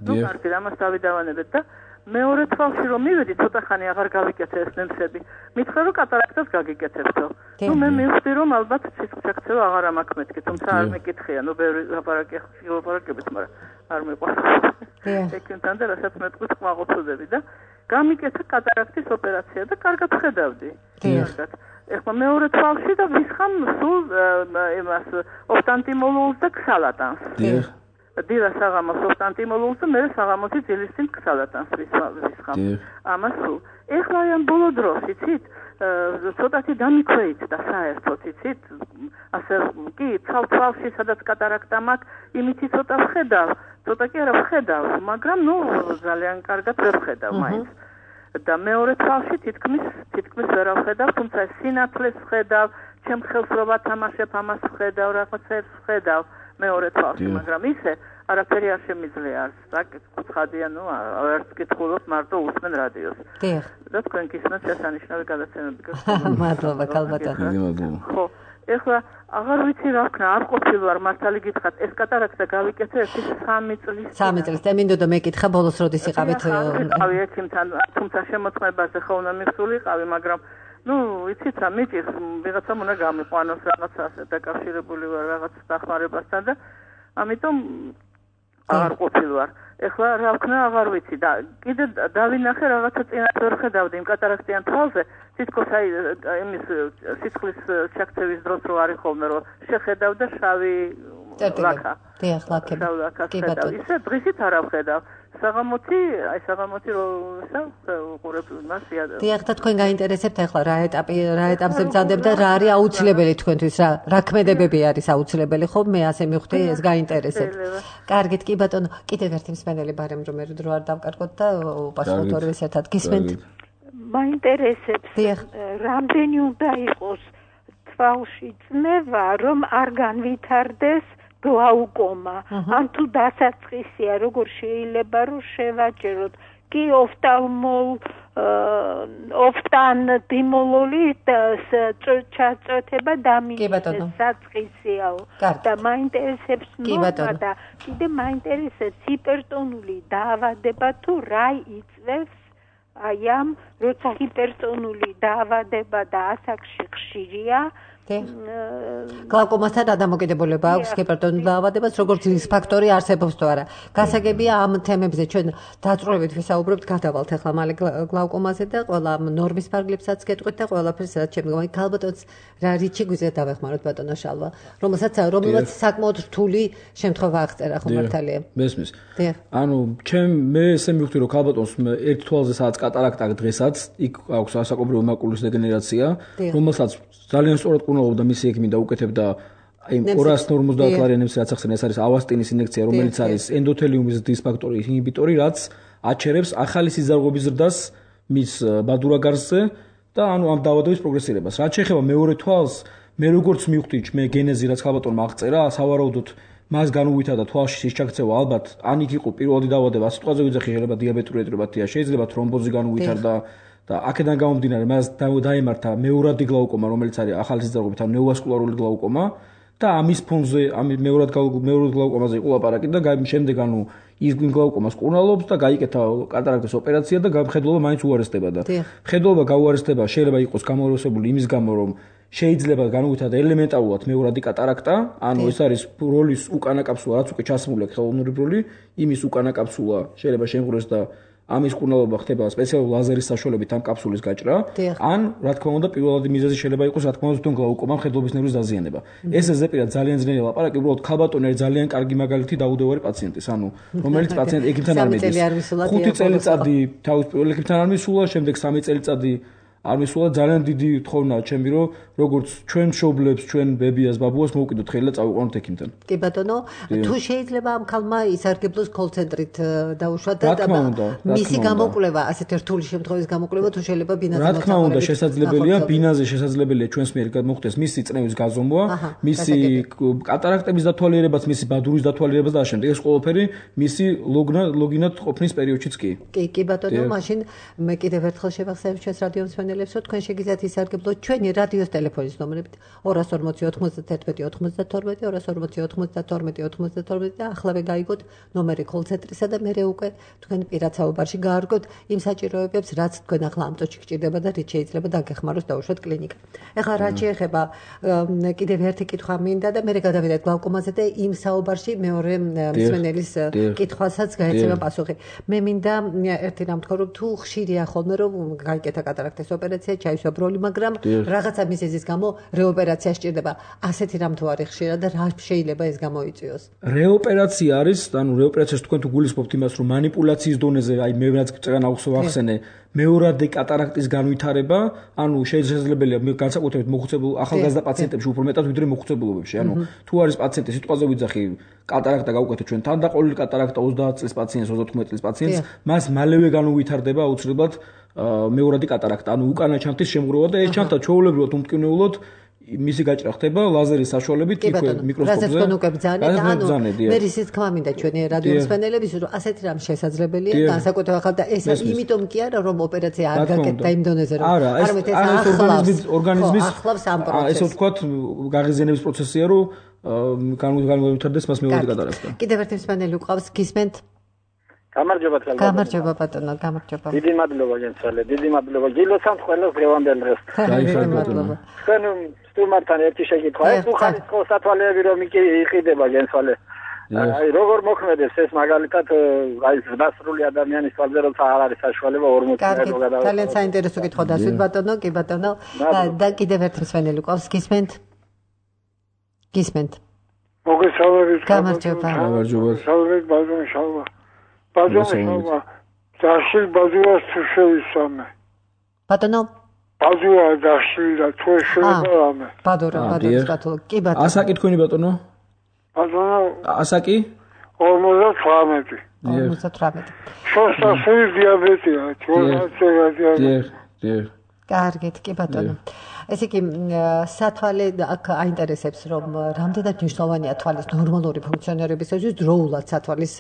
კარგი, ამას დავიდავანებეთ და მეორე თვალში რომ მივედი, ცოტა ხანი აღარ გავიკეთე ეს ნემსები. მითხრა რომ კატარაქტას გაგიკეთებთო. მე მივხვდი რომ ალბათ სისხლის ჩაქცევა აღარ მაქვს მეთქი, თუმცა არ მეკითხია, ბევრი ლაპარაკებით, მაგრამ არ მეყვარს. ექიმთან და რასაც მეტყვით ყმაყოცდები და გამიკეთა კატარაქტის ოპერაცია და კარგად ხედავდი. კარგად. ეხლა მეორე თვალში და ვისხამ სულ იმას ოფტალმოლოგს და ქსალატანს. დილა საღამოს ოფტალმოლოგს და მე საღამოსი ძილის წინ ქსალატანს ვისხამ. ამას სულ. ეხლა ამ ბოლო დროს იცით, ცოტათი დამიქვეით და საერთოდ იცით, ასე კი თვალში სადაც კატარაქტა მაქვს, იმითი ცოტა ვხედავ, ცოტა კი არა ვხედავ, მაგრამ ძალიან კარგად ვერ ვხედავ მაინც. და მეორე თვალში თითქმის ვერ ვხედავ, თუმცა სინათლეს ვხედავ, ჩემ ხელს რო ვათამაშებ, ამას ვხედავ, რაღაცებს ვხედავ მეორე თვალში, მაგრამ ისე არაფერი არ შემიძლია არც, კუთხადია, არც კითხულობ, მარტო უსმენ რადიოს. და თქვენ გისმენთ შესანიშნავი გადაცემები. მადლობა ქალბატონო. ხო, ეხლა აღარ ვიცი რა ვქნა, არ ყოფილვარ მართალი გითხრათ, ეს კატარაქტა გავიკეთე 3 წლის. 3 წლის. და მინდოდა მეკითხა ბოლოს როდის იყავით? ვიყავი ექიმთან, თუმცა შემოწმებაზე ხო უნდა მივსულიყავი, მაგრამ იცით რა, მიჭირს, ვიღაცამ უნდა გამიყვანოს რაღაცა ასე დაკავშირებული ვარ რაღაც დახმარებასთან და ამიტომ აღარ ყოფილვარ. ეხლა რა ვქნა, აღარ ვიცი და კიდე დავინახე რაღაცა წინათ ვერ ხედავდი იმ კატარაქტიან თვალზე, თითქოს იმის სისხლის ჩაქცევის დროს რო არის ხოლმე, რომ შეხედავ და შავი ლაქა. ლაქები. ისე დღისით არ ვხედავ. საღამოთი რო უყურებ მას იადა. დიახ, და თქვენ გაინტერესებთ ახლა რა ეტაპზე ბრძანდებთ და რა არის აუცილებელი თქვენთვის, რა ქმედებები არის აუცილებელი, ხო? მე ასე მივხვდი, ეს გაინტერესებთ. კარგით, კი ბატონო, კიდევ ერთი მსმენელი ბარემ რომ დრო არ დავკარგოთ და უპასუხოთ ორივეს ერთად. გისმენთ? მაინტერესებს, რამდენი უნდა იყოს თვალში წნევა, რომ არ განვითარდეს გლაუკომა. ან თუ დასაწყისია, როგორ შეიძლება რომ შევაჭეროთ? კი ოფტალმოლოგი ჩაწოთება დამიჯდეს საწყისიაო. და მაინტერესებს და კიდე მაინტერესებს ჰიპერტონული დაავადება თუ რა იწვევს აი ამ როცა ჰიპერტონული დაავადება და ასაკში ხშირია გლავკომასთან რა დამოკიდებულება აქვს ჰიპერტონული დაავადებას, როგორც რის ფაქტორი არსებობს თუ არა. გასაგებია ამ თემებზე ჩვენ დაწვრილებით ვისაუბრებთ, გადავალთ ახლა მალე გლავკომაზე და ყველა ნორმის ფარგლებსაც გეტყვით და ყველაფერს რაც შემდგომ. ქალბატონს რა რიჩი გვიძლია დავეხმაროთ ბატონო შალვა, რომელსაც საკმაოდ რთული შემთხვევა აღწერა ხო მართალია. მესმის. ანუ მე ესე მივხვდი რომ ქალბატონს ერთ თვალზე სადაც კატარაქტა დღესაც იქ აქვს ასაკობრივი მაკულის დეგენერაცია, რომელსაც ძალიან სწორად კურნალობდა მისი ექიმი და უკეთებდა აი 250 კლარიანებს რაც ახსენე, ეს არის ავასტინის ინექცია, რომელიც არის ენდოთელიუმის დისფაქტორის ინჰიბიტორი, რაც აჩერებს ახალი სიზარღობის ზრდას მის ბადურაგარზე და ანუ ამ დაავადების პროგრესირებას. რაც შეეხება მეორე თვალს, მე როგორც მივხვდი, მე გენეზი რაც ქალბატონმა აღწერა, სავარაუდოდ მას განუვითარდა თვალში ის ჩაქცევა, ალბათ ან იქ იყო პირველი დაავადება, სიტყვაზე ვიძახი, შეიძლება დიაბეტური ეტიროპათია, შეიძლება თრომბოზი განუვითარდა და აქედან გამომდინარე მას დაემართა მეურადი გლაუკომა, რომელიც არის ახალი სიზარღობით, ანუ ნეოვასკულარული გლაუკომა და ამის ფონზე, მეურად გლაუკომაზე იყო ლაპარაკი და შემდეგ ანუ ის გლაუკომას კურნალობს და გაიკეთა კატარაქტის ოპერაცია და მხედველობა მაინც უარესდება და მხედველობა გაუარესდება შეიძლება იყოს გამოროსებული იმის გამო, რომ შეიძლება განუვითარდა ელემენტარულად მეურადი კატარაქტა, ანუ ეს არის ბროლის უკანა კაფსულა, რაც უკვე ჩასმული აქვს ხელოვნური ბროლი, იმის უკანა კაფსულა შეიძლება შემღვრეს და ამის კურნალობა ხდება სპეციალური ლაზერის საშუალებით ამ კაფსულის გაჭრა, ან რა თქმა უნდა პირველადი მიზეზი შეიძლება იყოს რა თქმა უნდა თვითონ გლაუკომა, მხედველობის ნერვის დაზიანება. ეს ზეპირად ძალიან ძნელი ლაპარაკი, უბრალოდ ქალბატონი არის ძალიან კარგი მაგალითი დაუდევარი პაციენტის, ანუ რომელიც პაციენტი ექიმთან არ მიდის. 5 წელიწადი თავის პირველ ექიმთან არ მისულა, შემდეგ 3 წელიწადი არ მისულა, ძალიან დიდი თხოვნაა ჩემი, რომ როგორც ჩვენ მშობლებს, ჩვენ ბებიას, ბაბუას მოვკიდოთ ხელი და წავიყვანოთ ექიმთან. კი ბატონო, თუ შეიძლება ამ ქალმა ისარგებლოს კოლცენტრით დაუშვა და მისი გამოკვლევა, ასეთ რთული შემთხვევის გამოკვლევა თუ შეიძლება ბინაზე რა თქმა უნდა შესაძლებელია, ბინაზე შესაძლებელია ჩვენს მიერ მოხდეს მისი წნევის გაზომვა, მისი კატარაქტების დათვალიერებაც, მისი ბადურის დათვალიერებაც და შემდეგ ეს ყველაფერი მისი ლოგინად ყოფნის პერიოდშიც კი. კი ბატონო, მაშინ მე კიდევ ერთხელ შევახსენებ ჩვენს რადიო მსმენელებს, რომ თქვენ შეგიძლიათ ისარგებლოთ ჩვენი რადიოს ტელეფონის ნომრებით 240 91 92 240 92 92 დაახლავე გაიგოთ ნომერი კოლცენტრისა და მე უკვე თქვენ პირად საუბარში გაარგოთ იმ საჭიროებებს, რაც თქვენ ახლა ამ წუთში გჭირდება და რით შეიძლება დაგეხმაროს დაუშვათ კლინიკა. ეხლა რაც შეეხება კიდევ ერთი კითხვა მინდა და მე გადავიდეთ გლავკომაზე და იმ საუბარში მეორე მსმენელის კითხვასაც გაეცემა პასუხი. მე მინდა ერთი რამ თქვა, რომ თუ ხშირია ხოლმე რომ გაიკეთა კატარაქტის ოპერაცია, ჩაისვა ბროლი, მაგრამ რაღაცა მიზეზის გამო რეოპერაცია სჭირდება. ასეთი რამ თუ არის ხშირად და რა შეიძლება ეს გამოიწვიოს? რეოპერაცია არის, ანუ რეოპერაციას თქვენ თუ გულისხმობთ იმას, რომ манипуляციის დონეზე, აი მე რაც წეგან ახსენე, მეორადი კატარაქტის განვითარება, ანუ შესაძლებელია განსაკუთრებით მოხუცებულ ახალგაზრდა პაციენტებში უფრო მეტად ვიდრე მოხუცებულობებში. ანუ თუ არის პაციენტი, სიტყვაზე ვიძახი, კატარაქტა გავუკეთეთ ჩვენ თანდაყოლილი კატარაქტა 30 წლის პაციენტს, 39 წლის პაციენტს, მას მალევე განუვითარდება აუცილებლად მეორადი კატარაქტა, ანუ უკანა ჩანთის შემღვრევა და ეს ჩანთა ჩვეულებრივად უმტკივნეულოდ მისი გაჭრა ხდება ლაზერის საშუალებით მიკროსკოპზე. რასაც თქვენ უკვე ბძანეთ, ანუ მე ისიც თქმა მინდა ჩვენი რადიო მსმენელების, რომ ასეთი რამ შესაძლებელია, განსაკუთრებით ახლა და ეს იმიტომ კი არა, რომ ოპერაცია არ გაკეთდა იმ დონეზე, რომ არამედ ეს ორგანიზმის ახლავს ამ პროცესს. ესე ვთქვათ, გაღიზიანების პროცესია, რომ განვითარდეს მას მეორე კატარაქტა. კიდევ ერთი მსმენელი უყავს, გისმენთ? გამარჯობა ბატონო, გამარჯობა. დიდი მადლობა გენცვალე, დიდი მადლობა. გილოცავთ ყველას დღევანდელ დღეს. გაიხარეთ ბატონო. თქვენ სტუმართან ერთი შეკითხვა, ეს უხარისხო სათვალეები რომ იყიდება გენცვალე. აი როგორ მოქმედებს ეს მაგალითად აი ზრდასრული ადამიანის თვალზე როცა არ არის საშუალება 40 წელი რო გადავიდა. ძალიან საინტერესო კითხვა დასვით ბატონო, კი ბატონო. და კიდევ ერთი მსმენელი ყავს, გისმენთ? მოგესალმებით. გამარჯობა. მოგესალმებით ბატონო შალვა. ბაზუა დაშილ ბაზუას თუ შევისამე. ბატონო ბაზუა დაშილა თუ შევისამე. ბადურა ბატონო. კი ბატონო. ასაკი თქვენი ბატონო? ბატონო ასაკი? 58. 58. შორსასული დიაბეტია, დიაბეტი. კარგით, კი ბატონო. ესე იგი სათვალე აქ აინტერესებს რომ რამდენად მნიშვნელოვანია თვალის ნორმალური ფუნქციონირებისათვის დროულად სათვალის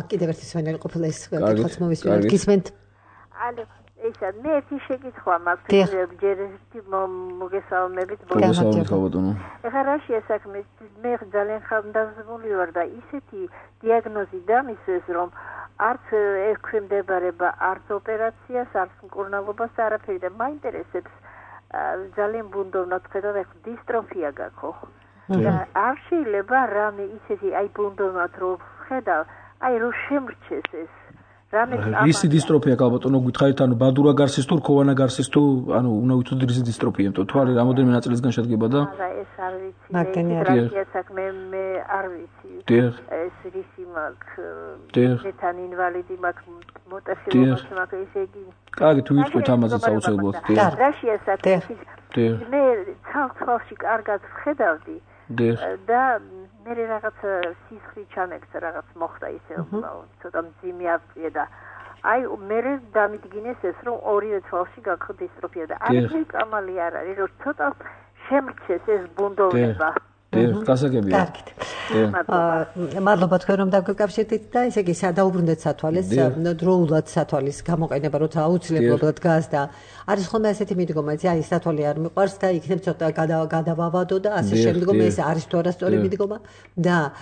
კიდევ ერთი სვენელი ყოფილა ეს კითხვის მოვისმინოთ გისმენთ? ალო ესა მე ერთი შეკითხვა მაქვს ჯერჯერობით მოგესალმებით ბატონო. ეხლა რაშია საქმე? მე ძალიან ხანდაზმული ვარ და ისეთი დიაგნოზი დამისვეს რომ არც ექვემდებარება არც ოპერაციას, არც მკურნალობას არაფერი და მაინტერესებს ძალიან ბუნდოვნად ხედავ, ეხლა დისტროფია გაქვს. არ შეიძლება რამე ისეთი აი ბუნდოვნად რო ხედავ, აი რო შემრჩეს ეს. რისი დისტროფია ალბათო გითხარით, ანუ ბადურა გარსის თუ რქოვანა გარსის თუ ანუ უნდა ვითოდეთ რისი დისტროფია, იმიტომ თვალი რამოდენიმე ნაწილისგან შედგება და არა ეს არ ვიცი. მაგდენია საქმე მე არ ვიცი. ეს რისი მაქვს მეთან ინვალიდი მაქვს მოტეხილობას მაქვს ესე იგი. კარგი თუ ვიტყვით ამაზეც აუცილებლად. რაშია საქმე? მე ცალ-ცალში კარგად ვხედავდი. და მე რაღაც სისხლი ჩამექცა რაღაც მოხდა ისე ცოტა მძიმე აფწია და აი მე დამიდგინეს ეს რომ ორივე თვალში გაქვს დისტროფია და არაფერი კამალი არ არის რომ ცოტა შემრჩეს ეს ბუნდოვნება გასაგებია. კარგით. მადლობა თქვენ რომ დაგვიკავშირდით და ესე იგი დაუბრუნდეთ სათვალეს, დროულად სათვალის გამოყენება როცა აუცილებლად დგას და არის ხოლმე ესეთი მიდგომა, აი სათვალი არ მიყვარს და იქნებ ცოტა გადავავადო და ასე შემდგომ ეს არის თუ არასწორი მიდგომა და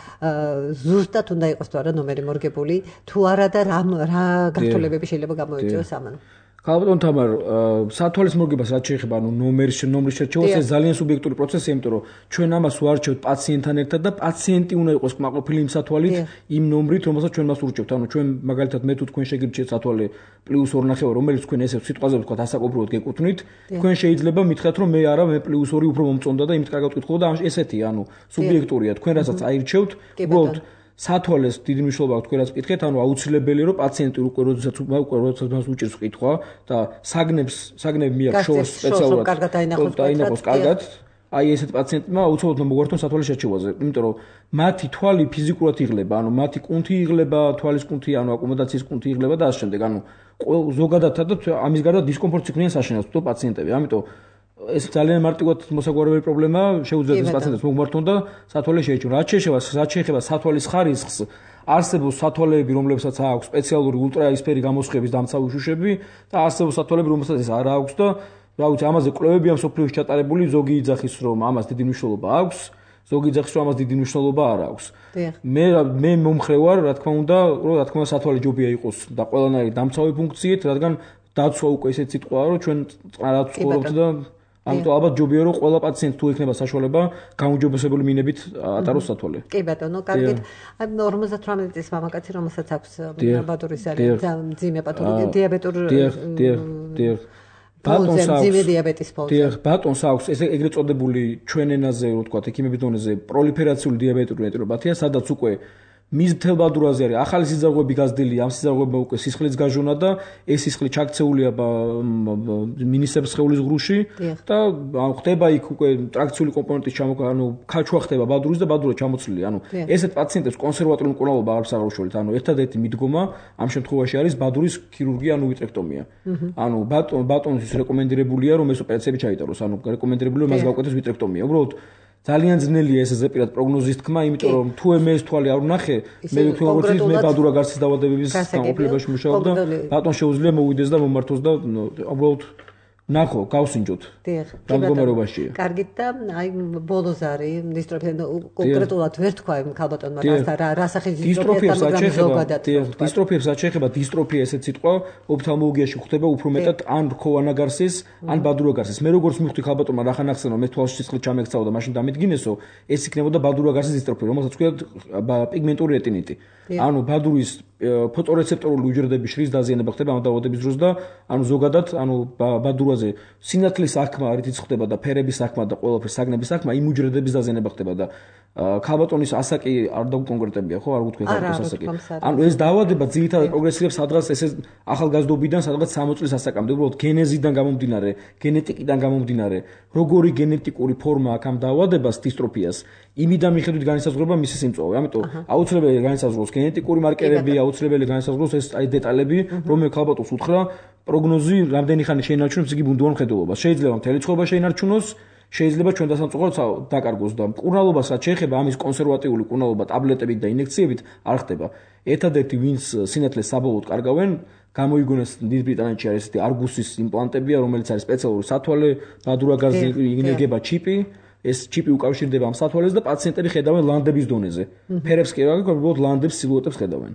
ზუსტად უნდა იყოს თუ არა ნომერი მორგებული, თუ არა და რა გართულებები შეიძლება გამოიწვიოს ამან. ალბათ თამარ სათვალის მორგებას რაც შეეხება ანუ ნომრის შერჩევას ეს ძალიან სუბიექტური პროცესია, იმიტომ რომ ჩვენ ამას ვარჩევთ პაციენტთან ერთად და პაციენტი უნდა იყოს კმაყოფილი იმ სათვალით, იმ ნომრით, რომელსაც ჩვენ მას ურჩევთ. ანუ ჩვენ მაგალითად მე თუ თქვენ შეგირჩეთ სათვალე +2.5, რომელიც თქვენ ესე სიტყვაზე ვთქვათ ასაკობრივად გეკუთვნით, თქვენ შეიძლება მითხრათ რომ მე არა, მე +2 უფრო მომწონდა და იმით კარგად ვკითხულობ და ესეთი ანუ სუბიექტურია. თქვენ რასაც აირჩევთ, უბრალოდ სათვალეს დიდი მნიშვნელობა აქვს თქვენ რაც ვკითხეთ, ანუ აუცილებელია რომ პაციენტი უკვე როდესაც მას უჭირს კითხვა და საგნები მიაქვს შორს სპეციალურად დაინახოს კარგად. აი ესეთ პაციენტმა აუცილებლად მოგვართონ სათვალის შერჩევაზე, იმიტომ რომ მათი თვალი ფიზიკურად იღლება, ანუ მათი კუნთი იღლება, თვალის კუნთი, ანუ აკომოდაციის კუნთი იღლება და ასე შემდეგ. ანუ ზოგადადად ამის გარდა დისკომფორტს იქნიან საშინელს თუ პაციენტები. ამიტომ ეს ძალიან მარტივად მოსაგვარებელი პრობლემაა, შეუძლია ეს პაციენტებს მოგმართონ და სათვალე შეეჩვენ. რაც შეეხება სათვალის ხარისხს, არსებობს სათვალეები, რომლებსაც აქვს სპეციალური ულტრაისფერი გამოსხების დამცავი შუშები და არსებობს სათვალეები, რომლებსაც ეს არ აქვს და რა ვიცი, ამაზე კვლევებია მსოფლიოში ჩატარებული, ზოგი იძახის რომ ამას დიდი მნიშვნელობა აქვს, ზოგი იძახის რომ ამას დიდი მნიშვნელობა არ აქვს. მე მომხრე ვარ, რა თქმა უნდა, სათვალე ჯობია იყოს და ყველანაირი დამცავი ფუნქციით, რადგან დაცვა უკვე ესეთ სიტყვაა, რომ ჩვენ რაც ცხოვრობთ და ამიტომ ალბათ ჯობია რომ ყველა პაციენტს თუ ექნება საშუალება გაუმჯობესებული მინებით ატაროს სათვალე. კი ბატონო, კარგით. აი 58 წლის მამაკაცი, რომელსაც აქვს ბადურის ძალიან მძიმე პათოლოგია, დიაბეტური ბატონს აქვს ესე ეგრეთ წოდებული ჩვენ ენაზე რო ვთქვათ, ექიმების დონეზე პროლიფერაციული დიაბეტური ნეტროპათია, სადაც უკვე მის მთელ ბადურაზე არის ახალი სიძარღვები გაზრდილი, ამ სიძარღვებმა უკვე სისხლიც გაჟონა და ეს სისხლი ჩაქცეულია მინისებრ სხეულის ღრუში და ხდება იქ უკვე ტრაქციული კომპონენტის ანუ ქაჩვა ხდება ბადურის და ბადურა ჩამოცლილი. ანუ ესეთ პაციენტებს კონსერვატორული მკურნალობა არ აღუშველთ. ანუ ერთადერთი მიდგომა ამ შემთხვევაში არის ბადურის ქირურგია, ანუ ვიტრექტომია. ანუ ბატონის რეკომენდირებულია რომ ეს ოპერაციები ჩაიტაროს, ანუ რეკომენდირებულია მას გავუკეთოს ვიტრექტომია. უბრალოდ ძალიან ძნელია ეს ზეპირად პროგნოზის თქმა, იმიტომ რომ თუ მე ეს თვალი არ ვნახე, მე ვთქვი როგორც ის მე ბადურა გარსის დაავადებების განყოფილებაში მუშაობ და ბატონ შეუძლია მოვიდეს და მომართოს და უბრალოდ ნახო, გავსინჯოთ. რა მდგომარეობაშია. კარგით და აი ბოლოს არის დისტროფია კონკრეტულად ვერ თქვა იმ ქალბატონმა რა სახის დისტროფიას შეეხება დისტროფია ესეთ სიტყვა ოფთალმოლოგიაში ხდება უფრო მეტად ან რქოვანა გარსის, ან ბადურა გარსის. მე როგორც მივხვდი ქალბატონმა რახან ახსენა, მე თვალში სისხლი ჩამექცავა და მაშინ დამიდგინესო, ეს იქნებოდა ბადურა გარსის დისტროფია, რომელსაც ქვია პიგმენტური რეტინიტი. ანუ ბადურის ფოტორეცეპტორული უჯრედების შრის დაზიანება ხდება ამ დაავადების დროს და ანუ ზოგადად ანუ ბადურაზე სინათლის საქმე არითიც ხდება და ფერების საქმე და ყველაფრის საგნების საქმე იმ უჯრედების დაზიანება ხდება და ქალბატონის ასაკი არ დაუკონკრეტებია, ხო, არ გუთქვი ქალბატონის ასაკი. ანუ ეს დაავადება ძირითადად პროგრესირებს სადღაც ესე ახალგაზრდობიდან სადღაც 60 წლის ასაკამდე, უბრალოდ გენეზიდან გამომდინარე, გენეტიკიდან გამომდინარე, როგორი გენეტიკური ფორმა აქვს ამ დაავადებას, დისტროფიას, იმიდან მიხედვით განისაზღვრება მისი სიმწვავე. ამიტომ აუცილებელი განისაზღვროს გენეტიკური მარკერები, აუცილებელი განისაზღვროს ეს აი დეტალები, რომელიც ქალბატონს უთხრა პროგნოზი რამდენი ხანი შეინარჩუნებს იგი ბუნდოვან მხედველობას. შეიძლება მთელი ცხოვრება შეინარჩუნოს, შეიძლება ჩვენ დასამწუხაროდ დაკარგოს და მკურნალობას რაც შეეხება ამის კონსერვატიული მკურნალობა ტაბლეტებით და ინექციებით არ ხდება. ერთადერთი ვინც სინათლეს საბოლოოდ კარგავენ, გამოიგონეს დიდ ბრიტანეთში არის ესეთი არგუსის იმპლანტებია, რომელიც არის სპეციალური სათვალე, ბადურა გარსზე ინეგება ჩიპი ეს ჩიპი უკავშირდება ამ სათვალეს და პაციენტები ხედავენ ლანდების დონეზე. ფერებს კი რა გქონდა, უბრალოდ ლანდებს სილუეტებს ხედავენ.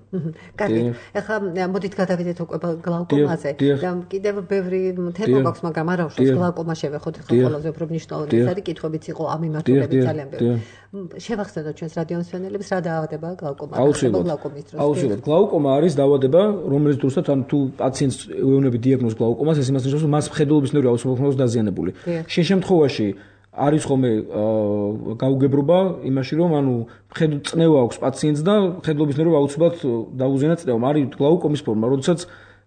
კარგი. ახლა მოდით გადავიდეთ უკვე გლაუკომაზე. და კიდევ ბევრი თემა გვაქვს, მაგრამ არა უშავს გლაუკომა შევეხოთ ახლა ყველაზე უფრო მნიშვნელოვანი ეს არის კითხვებიც იყო ამ მიმართულებით ძალიან ბევრი. შევახსენოთ ჩვენს რადიო მსმენელებს რა დაავადებაა გლაუკომა. აუცილებლად. გლაუკომა არის დაავადება, რომელიც დროსაც ან თუ პაციენტს ეუბნები დიაგნოზ გლაუკომას, ეს იმას ნიშნავს, რომ მას მხედველობის ნერვი აუცილებლად დაზიანებული. შენ შემთხვევაში არის ხოლმე გაუგებრობა იმაში, რომ ანუ წნევა აქვს პაციენტს და მხედველობის ნერვი აუცილებლად დაუზიანა წნევამ. არის გლაუკომის ფორმა, როდესაც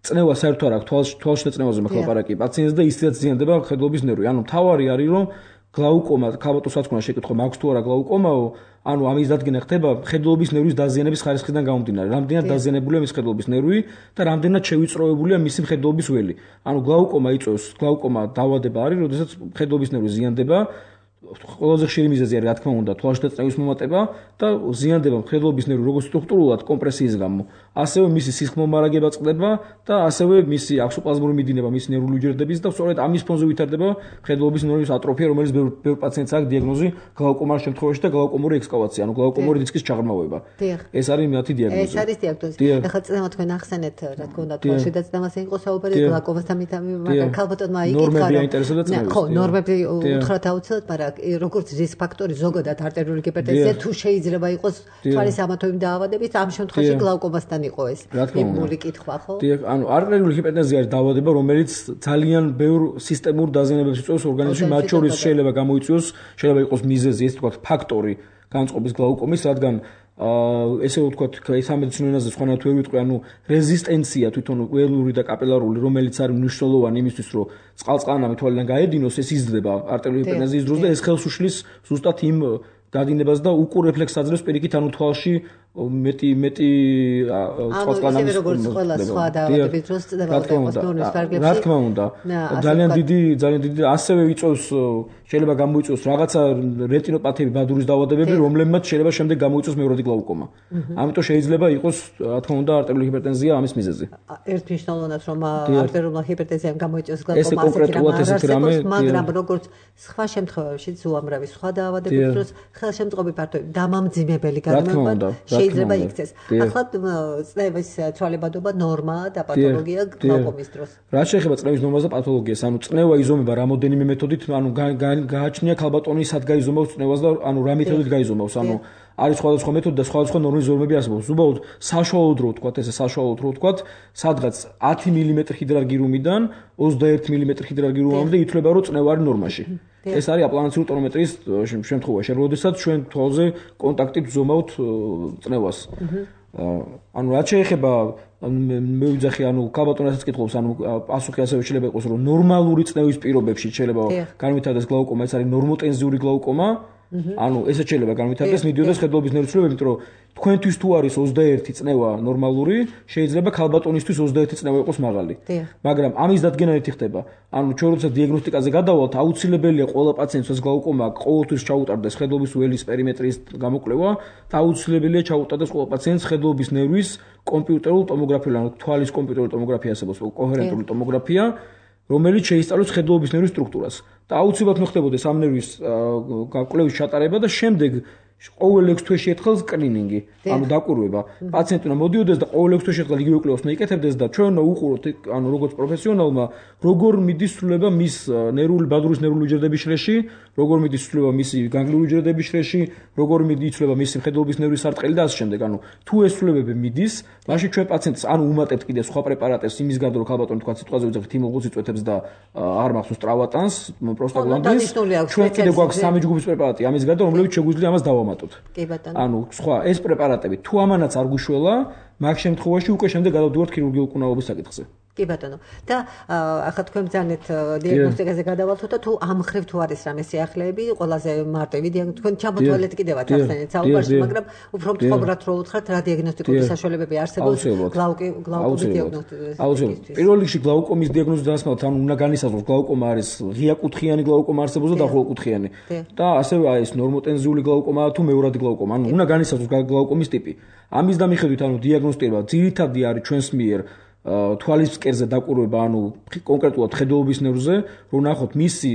წნევა საერთოდ არ აქვს, თვალში წნევაზე მახლაპარაკი პაციენტს და ისედაც ზიანდება მხედველობის ნერვი. ანუ თავარი არის, რომ გლაუკომა, ქალბატონს რაც შეკითხვა, მაქვს თუ არა გლაუკომაო, ანუ ამის დადგენა ხდება მხედველობის ნერვის დაზიანების ხარისხიდან გამომდინარე. რამდენად დაზიანებულია მის მხედველობის ნერვი და რამდენად შევიწროებულია მისი მხედველობის ველი. ანუ გლაუკომა იწვევს, გლაუკომა დაავადება არის, როდესაც მხედველობის ნერვი ზიანდება. ყველაზე ხშირი მიზეზი არის, რა თქმა უნდა, თვალში წნევის მომატება და ზიანდება მხედველობის ნერვი როგორც სტრუქტურულად კომპრესიის გამო, ასევე მისი სისხლმომარაგება წყდება და ასევე მისი აქსოპლაზმური მიდინება მისი ნერვული უჯრედების და სწორედ ამის ფონზე ვითარდება მხედველობის ნერვის ატროფია, რომელიც ბევრ პაციენტს აქვს დიაგნოზი გლაუკომას შემთხვევაში და გლაუკომური ექსკავაცია, ანუ გლაუკომური დისკის ჩაღრმავება. ეს არის მათი დიაგნოზი. ეს არის დიაგნოზი. ახლა წნევა თქვენ ახსენეთ, რა თქმა უნდა, თვალში და წნევაზე იყო საუბარი გლაუკომასთან, მაგრამ ქალბატონმა იკითხა, ხო, ნორმები უთხრათ აუცილებლად, მაგრამ როგორც რისკ ფაქტორი ზოგადად არტერიული ჰიპერტენზია თუ შეიძლება იყოს თვალის ამათოიმ დაავადებით, ამ შემთხვევაში გლაუკომასთან იყო ეს იმული კითხვა, ხო? დიახ, ანუ არტერიული ჰიპერტენზია არის დაავადება, რომელიც ძალიან ბევრ სისტემურ დაზიანებებს იწვევს ორგანიზმში, მათ შორის შეიძლება გამოიწვიოს, შეიძლება იყოს მიზეზი, ეს თქვა ფაქტორი განწყობის გლაუკომის, რადგან ესე ვთქვათ, სამედიცინო ენაზე სხვანაირად ვერ ვიტყვი, ანუ რეზისტენცია თვითონ ველური და კაპილარული, რომელიც არის მნიშვნელოვანი იმისთვის, რომ წყალწლანამი თვალიდან გაედინოს, ეს იზრდება არტერიული ჰიპერტენზიის დროს და ეს ხელს უშლის ზუსტად იმ გადინებას და უკურ რეფლექსს აძლევს პირიქით, ანუ თვალში მეტი წყალწლანამის როგორც ყველა სხვა დაავადების დროს წდება ოპოსტონოს ფარგლებში. რა თქმა უნდა, ძალიან დიდი ასევე იწვევს, შეიძლება გამოიწვიოს რაღაცა რეტინოპათიები, ბადურის დაავადებები, რომლებმაც შეიძლება შემდეგ გამოიწვიოს მეორადი გლაუკომა. ამიტომ შეიძლება იყოს, რა თქმა უნდა, არტერიული ჰიპერტენზია ამის მიზეზი. ერთ მნიშვნელოვნად, რომ არტერიული ჰიპერტენზიამ გამოიწვიოს გლაუკომა, მაგრამ როგორც სხვა შემთხვევებში, უამრავი სხვა დაავადების დროს ხელშემწყობი ფაქტორი, დამამძიმებელი გადამება შეიძლება იქცეს. ახლა წნევის ცვალებადობა ნორმაა და პათოლოგია გლაუკომის დროს. რა შეეხება წნევის ნორმას და პათოლოგიას, ანუ წნევა იზომება რამოდენიმე მეთოდით, ანუ გააჩნია ქალბატონი სად გაიზომავს წნევას და ანუ რა მეთოდით გაიზომავს, ანუ არის სხვადასხვა მეთოდი და სხვადასხვა ნორმის ზომები არსებობს. უბრალოდ საშუალოდ რო ვთქვათ, სადღაც 10 მმ ჰიდრარგირუმიდან 21 მმ ჰიდრარგირუმამდე ითვლება, რომ წნევა არის ნორმაში. ეს არის აპლანაციური ტონომეტრიის შემთხვევაში, როდესაც ჩვენ თვალზე კონტაქტით ვზომავთ წნევას. ანუ რაც შეეხება მე ვიძახი, ანუ ქალბატონასაც კითხულობს, ანუ პასუხი ასევე შეიძლება იყოს, რომ ნორმალური წნევის პირობებში შეიძლება განვითარდეს გლაუკომა, ეს არის ნორმოტენზიური გლაუკომა. ანუ ესეც შეიძლება განვითარდეს, მიდიოდეს მხედველობის ნერვის ცვლილებები, იმიტომ რომ თქვენთვის თუ არის 21 წნევა ნორმალური, შეიძლება ქალბატონისთვის 21 წნევა იყოს მაღალი. მაგრამ ამის დადგენა ერთი ხდება. ანუ ჩვენ როცა დიაგნოსტიკაზე გადავალთ, აუცილებელია ყველა პაციენტს ეს გლაუკომა ყოველთვის ჩაუტარდეს მხედველობის ველის პერიმეტრის გამოკვლევა და აუცილებელია ჩაუტარდეს ყველა პაციენტს მხედველობის ნერვის კომპიუტერულ ტომოგრაფია, ანუ თვალის კომპიუტერული ტომოგრაფია არსებობს, კოჰერენტული ტომოგრაფია, რომელიც შეისწავლოს მხედველობის ნერვის სტრუქტურას. და აუცილებლად მოხდებოდეს ამ ნერვის კვლევის ჩატარება და შემდეგ ყოველ 6 თვეში ერთხელ სკრინინგი, ანუ დაკვირვება. პაციენტი უნდა მოდიოდეს და ყოველ 6 თვეში ერთხელ იგივე კვლევას მოიკეთებდეს და ჩვენ უნდა უყუროთ, ანუ როგორც პროფესიონალმა, როგორ მიდის ცვლილება მის ბადურის ნერვული უჯრედების შრეში, როგორ მიდის ცვლილება მისი განგლიური უჯრედების შრეში, როგორ მიდის ცვლილება მისი მხედველობის ნერვის სარტყელი და ასე შემდეგ. ანუ თუ ეს ცვლილებები მიდის, მაშინ ჩვენ პაციენტს ანუ უმატებთ კიდე სხვა პრეპარატებს იმის გარდა, რომ ქალბატონი თქვა სიტყვაზე ვიძახით იმულღუს იწვეთებს და არ მახსოვს ტრავატანს, პროსტაგლანდინს. ჩვენ კიდე გვაქვს 3 ჯგუფის პრეპარატი ამის გარდა, რომლებიც შეგვიძლია ამას დავამატოთ. ანუ სხვა ეს პრეპარატები თუ ამანაც არ გუშველა, მაგ შემთხვევაში უკვე შემდეგ გადავდივართ ქირურგიულ კუნაობის საკითხზე. კი ბატონო. და ახლა თქვენ ბრძანეთ დიაგნოსტიკაზე გადავალთ და თუ ამ ხრივ თუ არის რამე სიახლეები, ყველაზე მარტივი თქვენ ჩამოთვალეთ კიდევაც ახსენეთ საუბარში, მაგრამ უფრო მწობრად რო უთხრათ, რა დიაგნოსტიკური საშუალებები არსებობს გლაუკომის დიაგნოსტიკაზე. აუცილებლად. პირველ რიგში გლაუკომის დიაგნოზი დასმევთ, ანუ უნდა განისაზღვროს გლაუკომა არის ღიაკუთხიანი გლაუკომა არსებობს და დახურაკუთხიანი. და ასევე ეს ნორმოტენზიული გლაუკომაა თუ მეორადი გლაუკომა, ანუ უნდა განისაზღვროს გლაუკომის ტიპი. ამის დამიხედვით, ანუ დიაგნოსტირება ძირითადი არის ჩვენს მიერ თვალის ფსკერზე დაკვირვება, ანუ კონკრეტულად მხედველობის ნერვზე, რომ ნახოთ მისი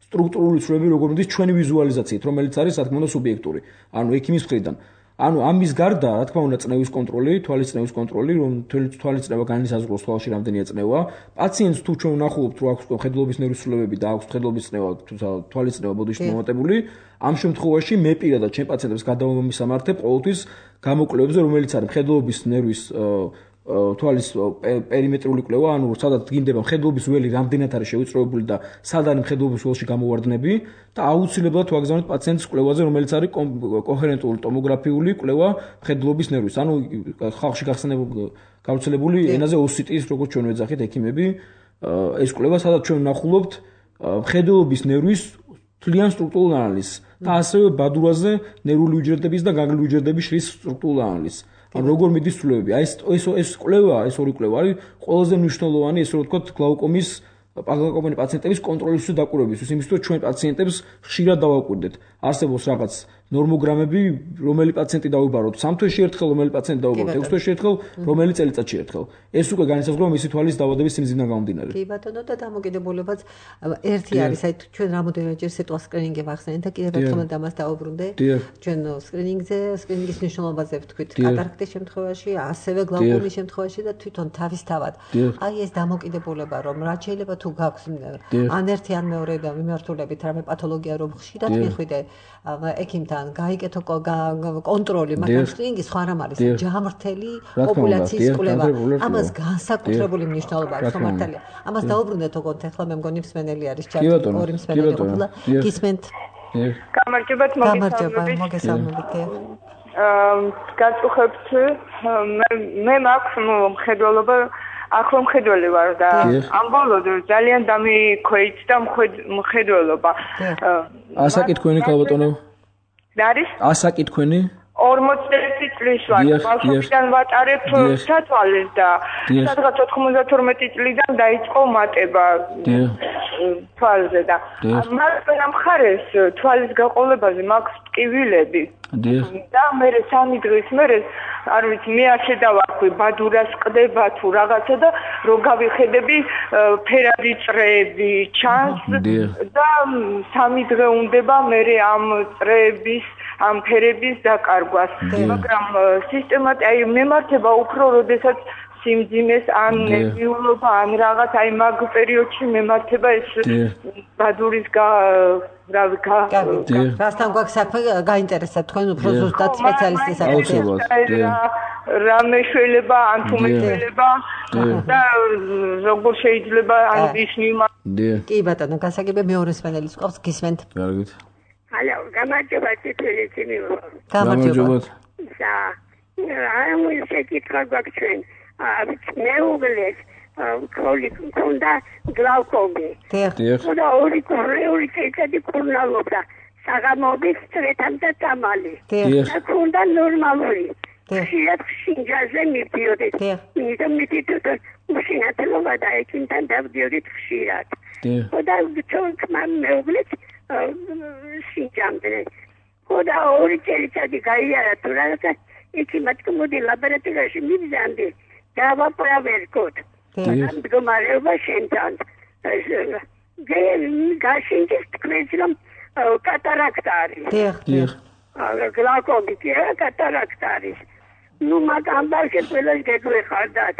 სტრუქტურული ცვლილებები როგორ მიდის ჩვენი ვიზუალიზაციით, რომელიც არის რა თქმა უნდა სუბიექტური. ანუ ექიმის მხრიდან. ანუ ამის გარდა, რა თქმა უნდა, წნევის კონტროლი, თვალის წნევის კონტროლი, რომ თვალის წნევა განისაზღვროს თვალში რამდენია წნევა. პაციენტს თუ ჩვენ ვნახულობთ, რომ აქვს მხედველობის ნერვის ცვლილებები და აქვს მხედველობის წნევა, თვალის წნევა ბოდიში მომატებული, ამ შემთხვევაში მე პირადად ჩემ პაციენტებს გადავამისამართებ ყოველთვის გამოკვლევებზე, რომელიც არის მხედველობის ნერვის თვალის პერიმეტრული კვლევა, ანუ სადაც გინდება მხედველობის ველი რამდენად არის შევიწროებული და სად არის მხედველობის ველში გამოვარდნები და აუცილებლად ვაგზავნოთ პაციენტის კვლევაზე, რომელიც არის კოჰერენტული ტომოგრაფიული კვლევა მხედველობის ნერვის. ანუ ხალხში გავრცელებული ენაზე OCT-ის, როგორც ჩვენ ვეძახით ექიმები, ეს კვლევა სადაც ჩვენ ვნახულობთ მხედველობის ნერვის თლიან სტრუქტურულ ანალიზს და ასევე ბადურაზე ნერვული უჯრედების და განგლიური უჯრედების შრის სტრუქტურულ ანალიზს. როგორ მიდის ცვლილებები? აი ეს კვლევა, ეს ორი კვლევა არის ყველაზე მნიშვნელოვანი, ესე რომ ვთქვათ, გლაუკომის პაციენტების კონტროლისთვის და დაკვირვებისთვის, იმისთვის რომ ჩვენ პაციენტებს ხშირად დავაკვირდეთ. არსებობს რაღაც ნორმოგრამები, რომელი პაციენტი დავიბაროთ 3 თვეში ერთხელ, რომელი პაციენტი დავიბაროთ 6 თვეში ერთხელ, რომელი წელიწადში ერთხელ. ეს უკვე განისაზღვრება მისი თვალის დაავადების სიმძიმიდან გამომდინარე. კი ბატონო და დამოკიდებულებაც ერთი არის, აი ჩვენ რამოდენჯერ სიტყვა სკრინინგი ვახსენეთ და კიდევ ერთხელ ამას დავუბრუნდე. ჩვენ სკრინინგის მნიშვნელობაზე ვთქვით კატარაქტის შემთხვევაში, ასევე გლაუკომის შემთხვევაში და თვითონ თავისთავად. აი ეს დამოკიდებულება, რომ რაც შეიძლება თუ გაქვს ან ერთი ან მეორე და მიმართულებით რამე პათოლოგია რომ ხშირად მიხვიდე ექიმთან გაიკეთო კონტროლი, მაგრამ სკრინინგი სხვა რამ არის, ჯამრთელი პოპულაციის კვლევა. ამას განსაკუთრებული მნიშვნელობა აქვს, მართალია. ამას დავუბრუნდეთ ოღონდ ახლა მე მგონი მსმენელი არის ჩატი, ორი მსმენელი ყოფილა. გისმენთ? გამარჯობათ, მოგესალმებით. გაწუხებთ, მე მაქვს მხედველობა ახლა მხედველი ვარ და ამ ბოლოდ ძალიან დამიქვეით და მხედველობა. ასაკითხვენი ქალბატონო? არის? ასაკითხვენი? 41 წლის ვარ. ბავშვობიდან ვატარებ სათვალეს და სადღაც 92 წლიდან დაიწყო მატება თვალზე და მაგრამ მხარეს თვალის გაყოლებაზე მაქვს ტკივილები. და მე 3 დღის მერე არ ვიცი მე არ შედავარქვი ბადურას ყდება თუ რაღაცა და რო გავიხედები ფერადი წრეები ჩანს და 3 დღე უნდება მე ამ წრეების ამ ფერების დაკარგვას მაგრამ სისტემატ აი მემართება უფრო როდესაც სიმძიმეს ან ნერვიულობა ან რაღაც აი მაგ პერიოდში მემართება ეს ბადურის რასთან გვაქვს საქმე გაინტერესებთ თქვენ უფრო ზუსტად სპეციალისტის საკითხი რა მეშველება ან თუ მეშველება და როგორ შეიძლება ან ისნიმა კი ბატონო გასაგებია მეორე სპეციალისტის ყავს გისმენთ კარგით ალო გამარჯობა ციტვილი გამარჯობა აი მუსიკა გვაქვს მეუღლეს ქოლი ქონდა გლაუკომი და ორი წელიწადი კურნალობდა საღამოობით წრეთამდე წამალი და ქონდა ნორმალური ხშირად მივდიოდი მიდით უშინათლობა და ექიმთან დავდიოდით ხშირად და თქმა მეუღლეს სინჯამდე და ორი წელიწადი გაიარა თუ რაღაცა ექიმად მოდი ლაბორატორიაში მივზანდი დავაპრავერკოთ მდგომარეობა შენთან გაშინდეს თქვენს რომ კატარაქტა არის გლაუკომი კატარაქტა არის ნუ მაგ ამბავში ყველას გეგვეხარდათ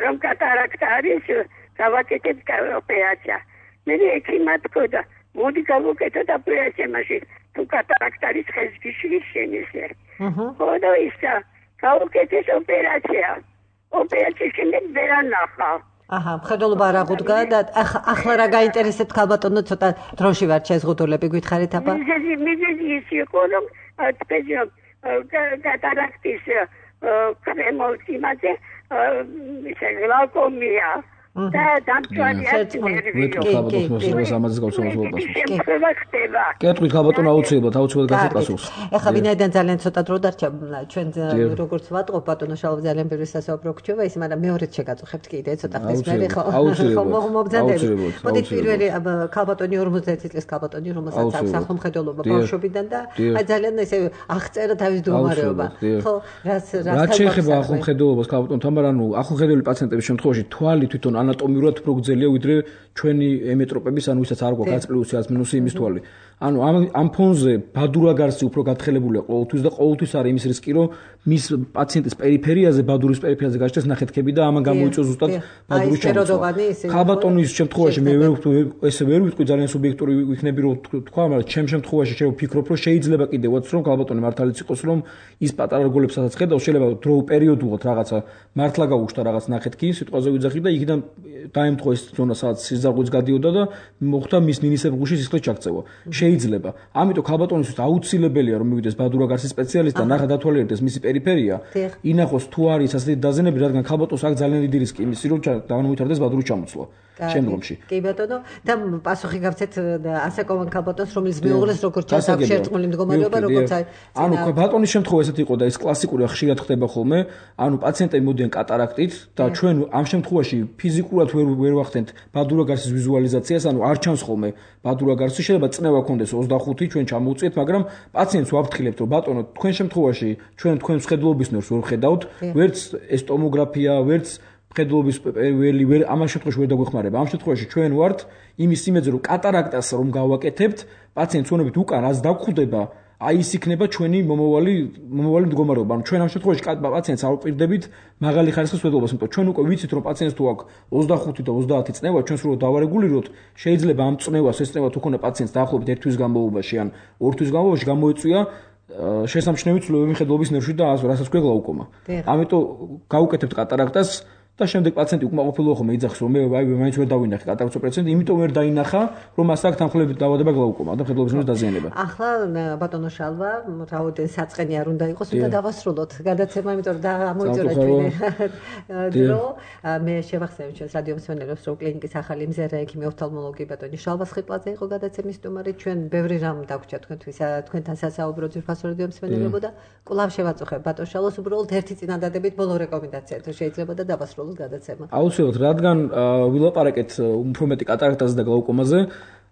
რომ კატარაქტა არის გავაკეთებ ოპერაცია მე ექიმად გქონდა მოდი გავუკეთოთ ოპერაცია მაშინ თუ კატარაქტა არის ხეს გიშლის შენისერ ხოდა ისა გავუკეთეს ოპერაცია ოპერაციის შემდეგ ვერ ანახა აჰა მხედველობა არ აღუდგა და ახლა რა გაინტერესებთ ქალბატონო ცოტა დროში ვარ შეზღუდულები გითხარით აბა მიზეზი ის იყო რომ კატარაქტის კრემოს იმაზე გლაუკომია და დამწვანია კეთრი ქალბატონო აუცილებლად გასცეთ პასუხს ეხლა ვინაიდან ძალიან ცოტა დრო დარჩა ჩვენ როგორც ვატყობ ბატონო შალო ძალიან ბევრი სასაუბრო გრჩება ის მაგრამ მეორეც შეგაწუხებთ კიდე ცოტა ხნის მერე ხო მობძანდები მოდით პირველი ქალბატონი 50 წლის ქალბატონი რომელსაც აქვს ახლომხედველობა ბავშვობიდან და აი ძალიან ესე აღწერა თავის მდგომარეობა ხო რაც რაც შეეხება ახლომხედველობას ქალბატონთან მაგრამ ახლომხედველი პაციენტების შემთხვევაში თვალი თვითონ ანატომიურად უფრო გრძელია ვიდრე ჩვენი ემეტროპების, ანუ ვისაც არ გვაქვს 100 პლუსი 100 მინუსი იმის თვალი. ანუ ამ ფონზე ბადურაგარსი უფრო გათხელებულია ყოველთვის და ყოველთვის არის იმის რისკი, რომ მის პაციენტის პერიფერიაზე, ბადურის პერიფერიაზე გაჩნდეს ნახეთქები და ამან გამოიწვევს ზუსტად ბადურის ჩამოცვა. ხალბატონის შემთხვევაში მე ესე ვერ ვიტყვი, ძალიან სუბიექტური ვიქნები რომ თქვა, მაგრამ ჩემ შემთხვევაში შეიძლება ვფიქრობ, რომ შეიძლება კიდევაც რომ ხალბატონი მართალიც იყოს, რომ ის პატარა რგოლებს სადაც ხედავს, შეიძლება დრო პერიოდულად რაღაცა მართლა გაუჩნდა რაღაც ნახეთქი, სიტყვაზე ვიძახი და იქიდან დაემთხვა ეს ზონა, სადაც სიზარღვიც გადიოდა და მოხდა მის ნინისებრგუში სისხლის ჩაქცევა. შეიძლება. ამიტომ ხალბატონისთვის აუცილებელია რომ მივიდეს ბადურაგარსის სპეციალისტი და ნახა დათვალიერდეს მისი პერიფერია. ინახოს თუ არის ასეთი დაზიანებები, რადგან ხალბატონს აქვს ძალიან დიდი რისკი იმისი, რომ განუვითარდეს ბადურის ჩამოცვა შემდგომში. კი ბატონო, და პასუხი გავცეთ ასაკოვან ხალბატონს, რომელიც მეუღლეს როგორც ჩანს აქვს შერწყმული მდგომარეობა, როგორც ანუ ბატონის შემთხვევა ესეთი იყო და ეს კლასიკური ხშირად ხდება ხოლმე, ანუ პაციენტები მოდიან კატარაქტით და ჩვენ ამ შემთხვევაში ფიზიკურად ვერ ვახდენთ ბადურაგარსის ვიზუალიზაციას, ანუ არ ჩანს ხოლმე ბადურაგარსი, შეიძლება წნევა ქონდეს 25 ჩვენ ჩამოვუწიეთ, მაგრამ პაციენტს ვაფრთხილებთ, რომ ბატონო, თქვენ შემთხვევაში ჩვენ თქვენს ხედულობის ნერვს ვერ ხედავთ, ვერც ეს ტომოგრაფია, ვერც ხედულობის ვერ ამ შემთხვევაში ვერ დაგვეხმარება. ამ შემთხვევაში ჩვენ ვართ იმის იმედზე, რომ კატარაქტას რომ გავაკეთებთ, პაციენტს ვონებით უკან რაც დაგხვდება, აი ის იქნება ჩვენი მომავალი მდგომარეობა. ანუ ჩვენ ამ შემთხვევაში პაციენტს არ ვპირდებით მაღალი ხარისხის ხედულობას, იმიტომ ჩვენ უკვე ვიცით, რომ პაციენტს თუ აქვს 25 და 30 წნევა, ჩვენ სულ დავარეგულიროთ, შეიძლება ამ წნევას ეს წნევა თუ ქონა პაციენტს დაახლოებით 1 თვის განმავლობაში ან 2 თვის განმავლობაში გამოეწვია შესამჩნევი ცვლილებები ხედულობის ნერვში და რასაც ქვია გლაუკომა. ამიტომ გავუკეთებთ კატარაქტას და შემდეგ პაციენტი უკმაყოფილო ხომ ეძახს რომ მე მაინც ვერ დავინახე კატარაქტის ოპერაციას, იმიტომ ვერ დაინახა რომ მას აქვს თანხლებით დაავადება გლაუკომა და ხედულობის ნერვის დაზიანება. ახლა ბატონო შალვა, რაოდენ საწყენი არ უნდა იყოს, უნდა დავასრულოთ გადაცემა, იმიტომ რომ ამოიწურა ჩვენი დრო. მე შევახსენებ ჩვენს რადიო მსმენელებს, რომ კლინიკის ახალი მზერა ექიმი ოფთალმოლოგი ბატონი შალვა სხიპლაძე იყო გადაცემის სტუმარი. ჩვენ ბევრი რამ დაგვრჩა თქვენთან სასაუბრო ძვირფასო რადიო მსმენელებო და კვლავ შევაწუხებ ბატონ შალვას უბრალოდ ერთი წინადადებით ბოლო რეკომენდაცია თუ შეიძლება და დავასრულოთ გადაცემა. აუცილებლად, რადგან ვილაპარაკეთ უფრო მეტი კატარაქტაზე და გლაუკომაზე,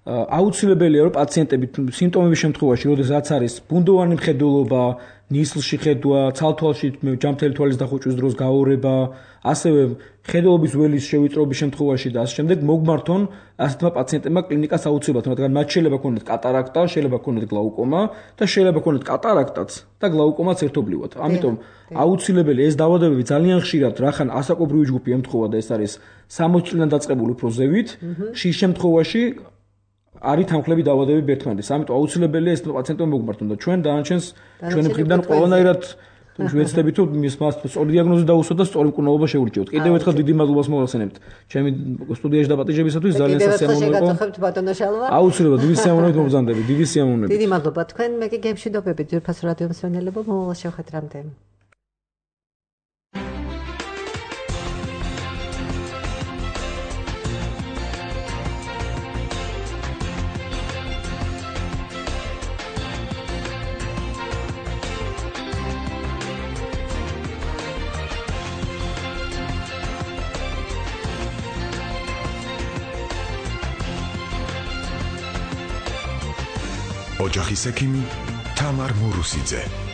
აუცილებელია რომ პაციენტები სიმპტომების შემთხვევაში, როდესაც არის ბუნდოვანი მხედველობა, ნისლში ხედვა, ცალთვალში ჯამთელი თვალის დახუჭვის დროს გაორება, ასევე ხედულობის ველის შევიწროების შემთხვევაში და ასე შემდეგ მოგმართონ ასეთმა პაციენტებმა კლინიკას აუცილებლად, რადგან მათ შეიძლება ქონდეთ კატარაქტა, შეიძლება ქონდეთ გლაუკომა და შეიძლება ქონდეთ კატარაქტაც და გლაუკომაც ერთობლივად. ამიტომ აუცილებელი ეს დაავადებები ძალიან ხშირად რახან ასაკობრივი ჯგუფი ემთხვევა და ეს არის 60 წლიდან დაწყებული უფრო ზევით, ხშირ შემთხვევაში არის თანხლები დაავადებები ერთმანეთს. ამიტომ აუცილებელია ეს პაციენტები მოგმართონ და ჩვენ დანარჩენს ჩვენი მხრიდან ყველანაირად ვეცდებით რომ მას სწორი დიაგნოზი დაუსვათ და სწორი მკურნალობა შეურჩიოთ. კიდევ ერთხელ დიდი მადლობას მოვახსენებთ ჩემი სტუდიაში დაპატიჟებისათვის, ძალიან სასიამოვნო იყო. აუცილებლად დიდი სიამოვნებით მოგზავნდებით, დიდი სიამოვნებით. დიდი მადლობა თქვენ, მე კი გემშვიდობებით ძვირფასო რადიო მსმენელებო, მომავალ შევხვედრამდე. ოჯახის ექიმი თამარ მურუსიძე.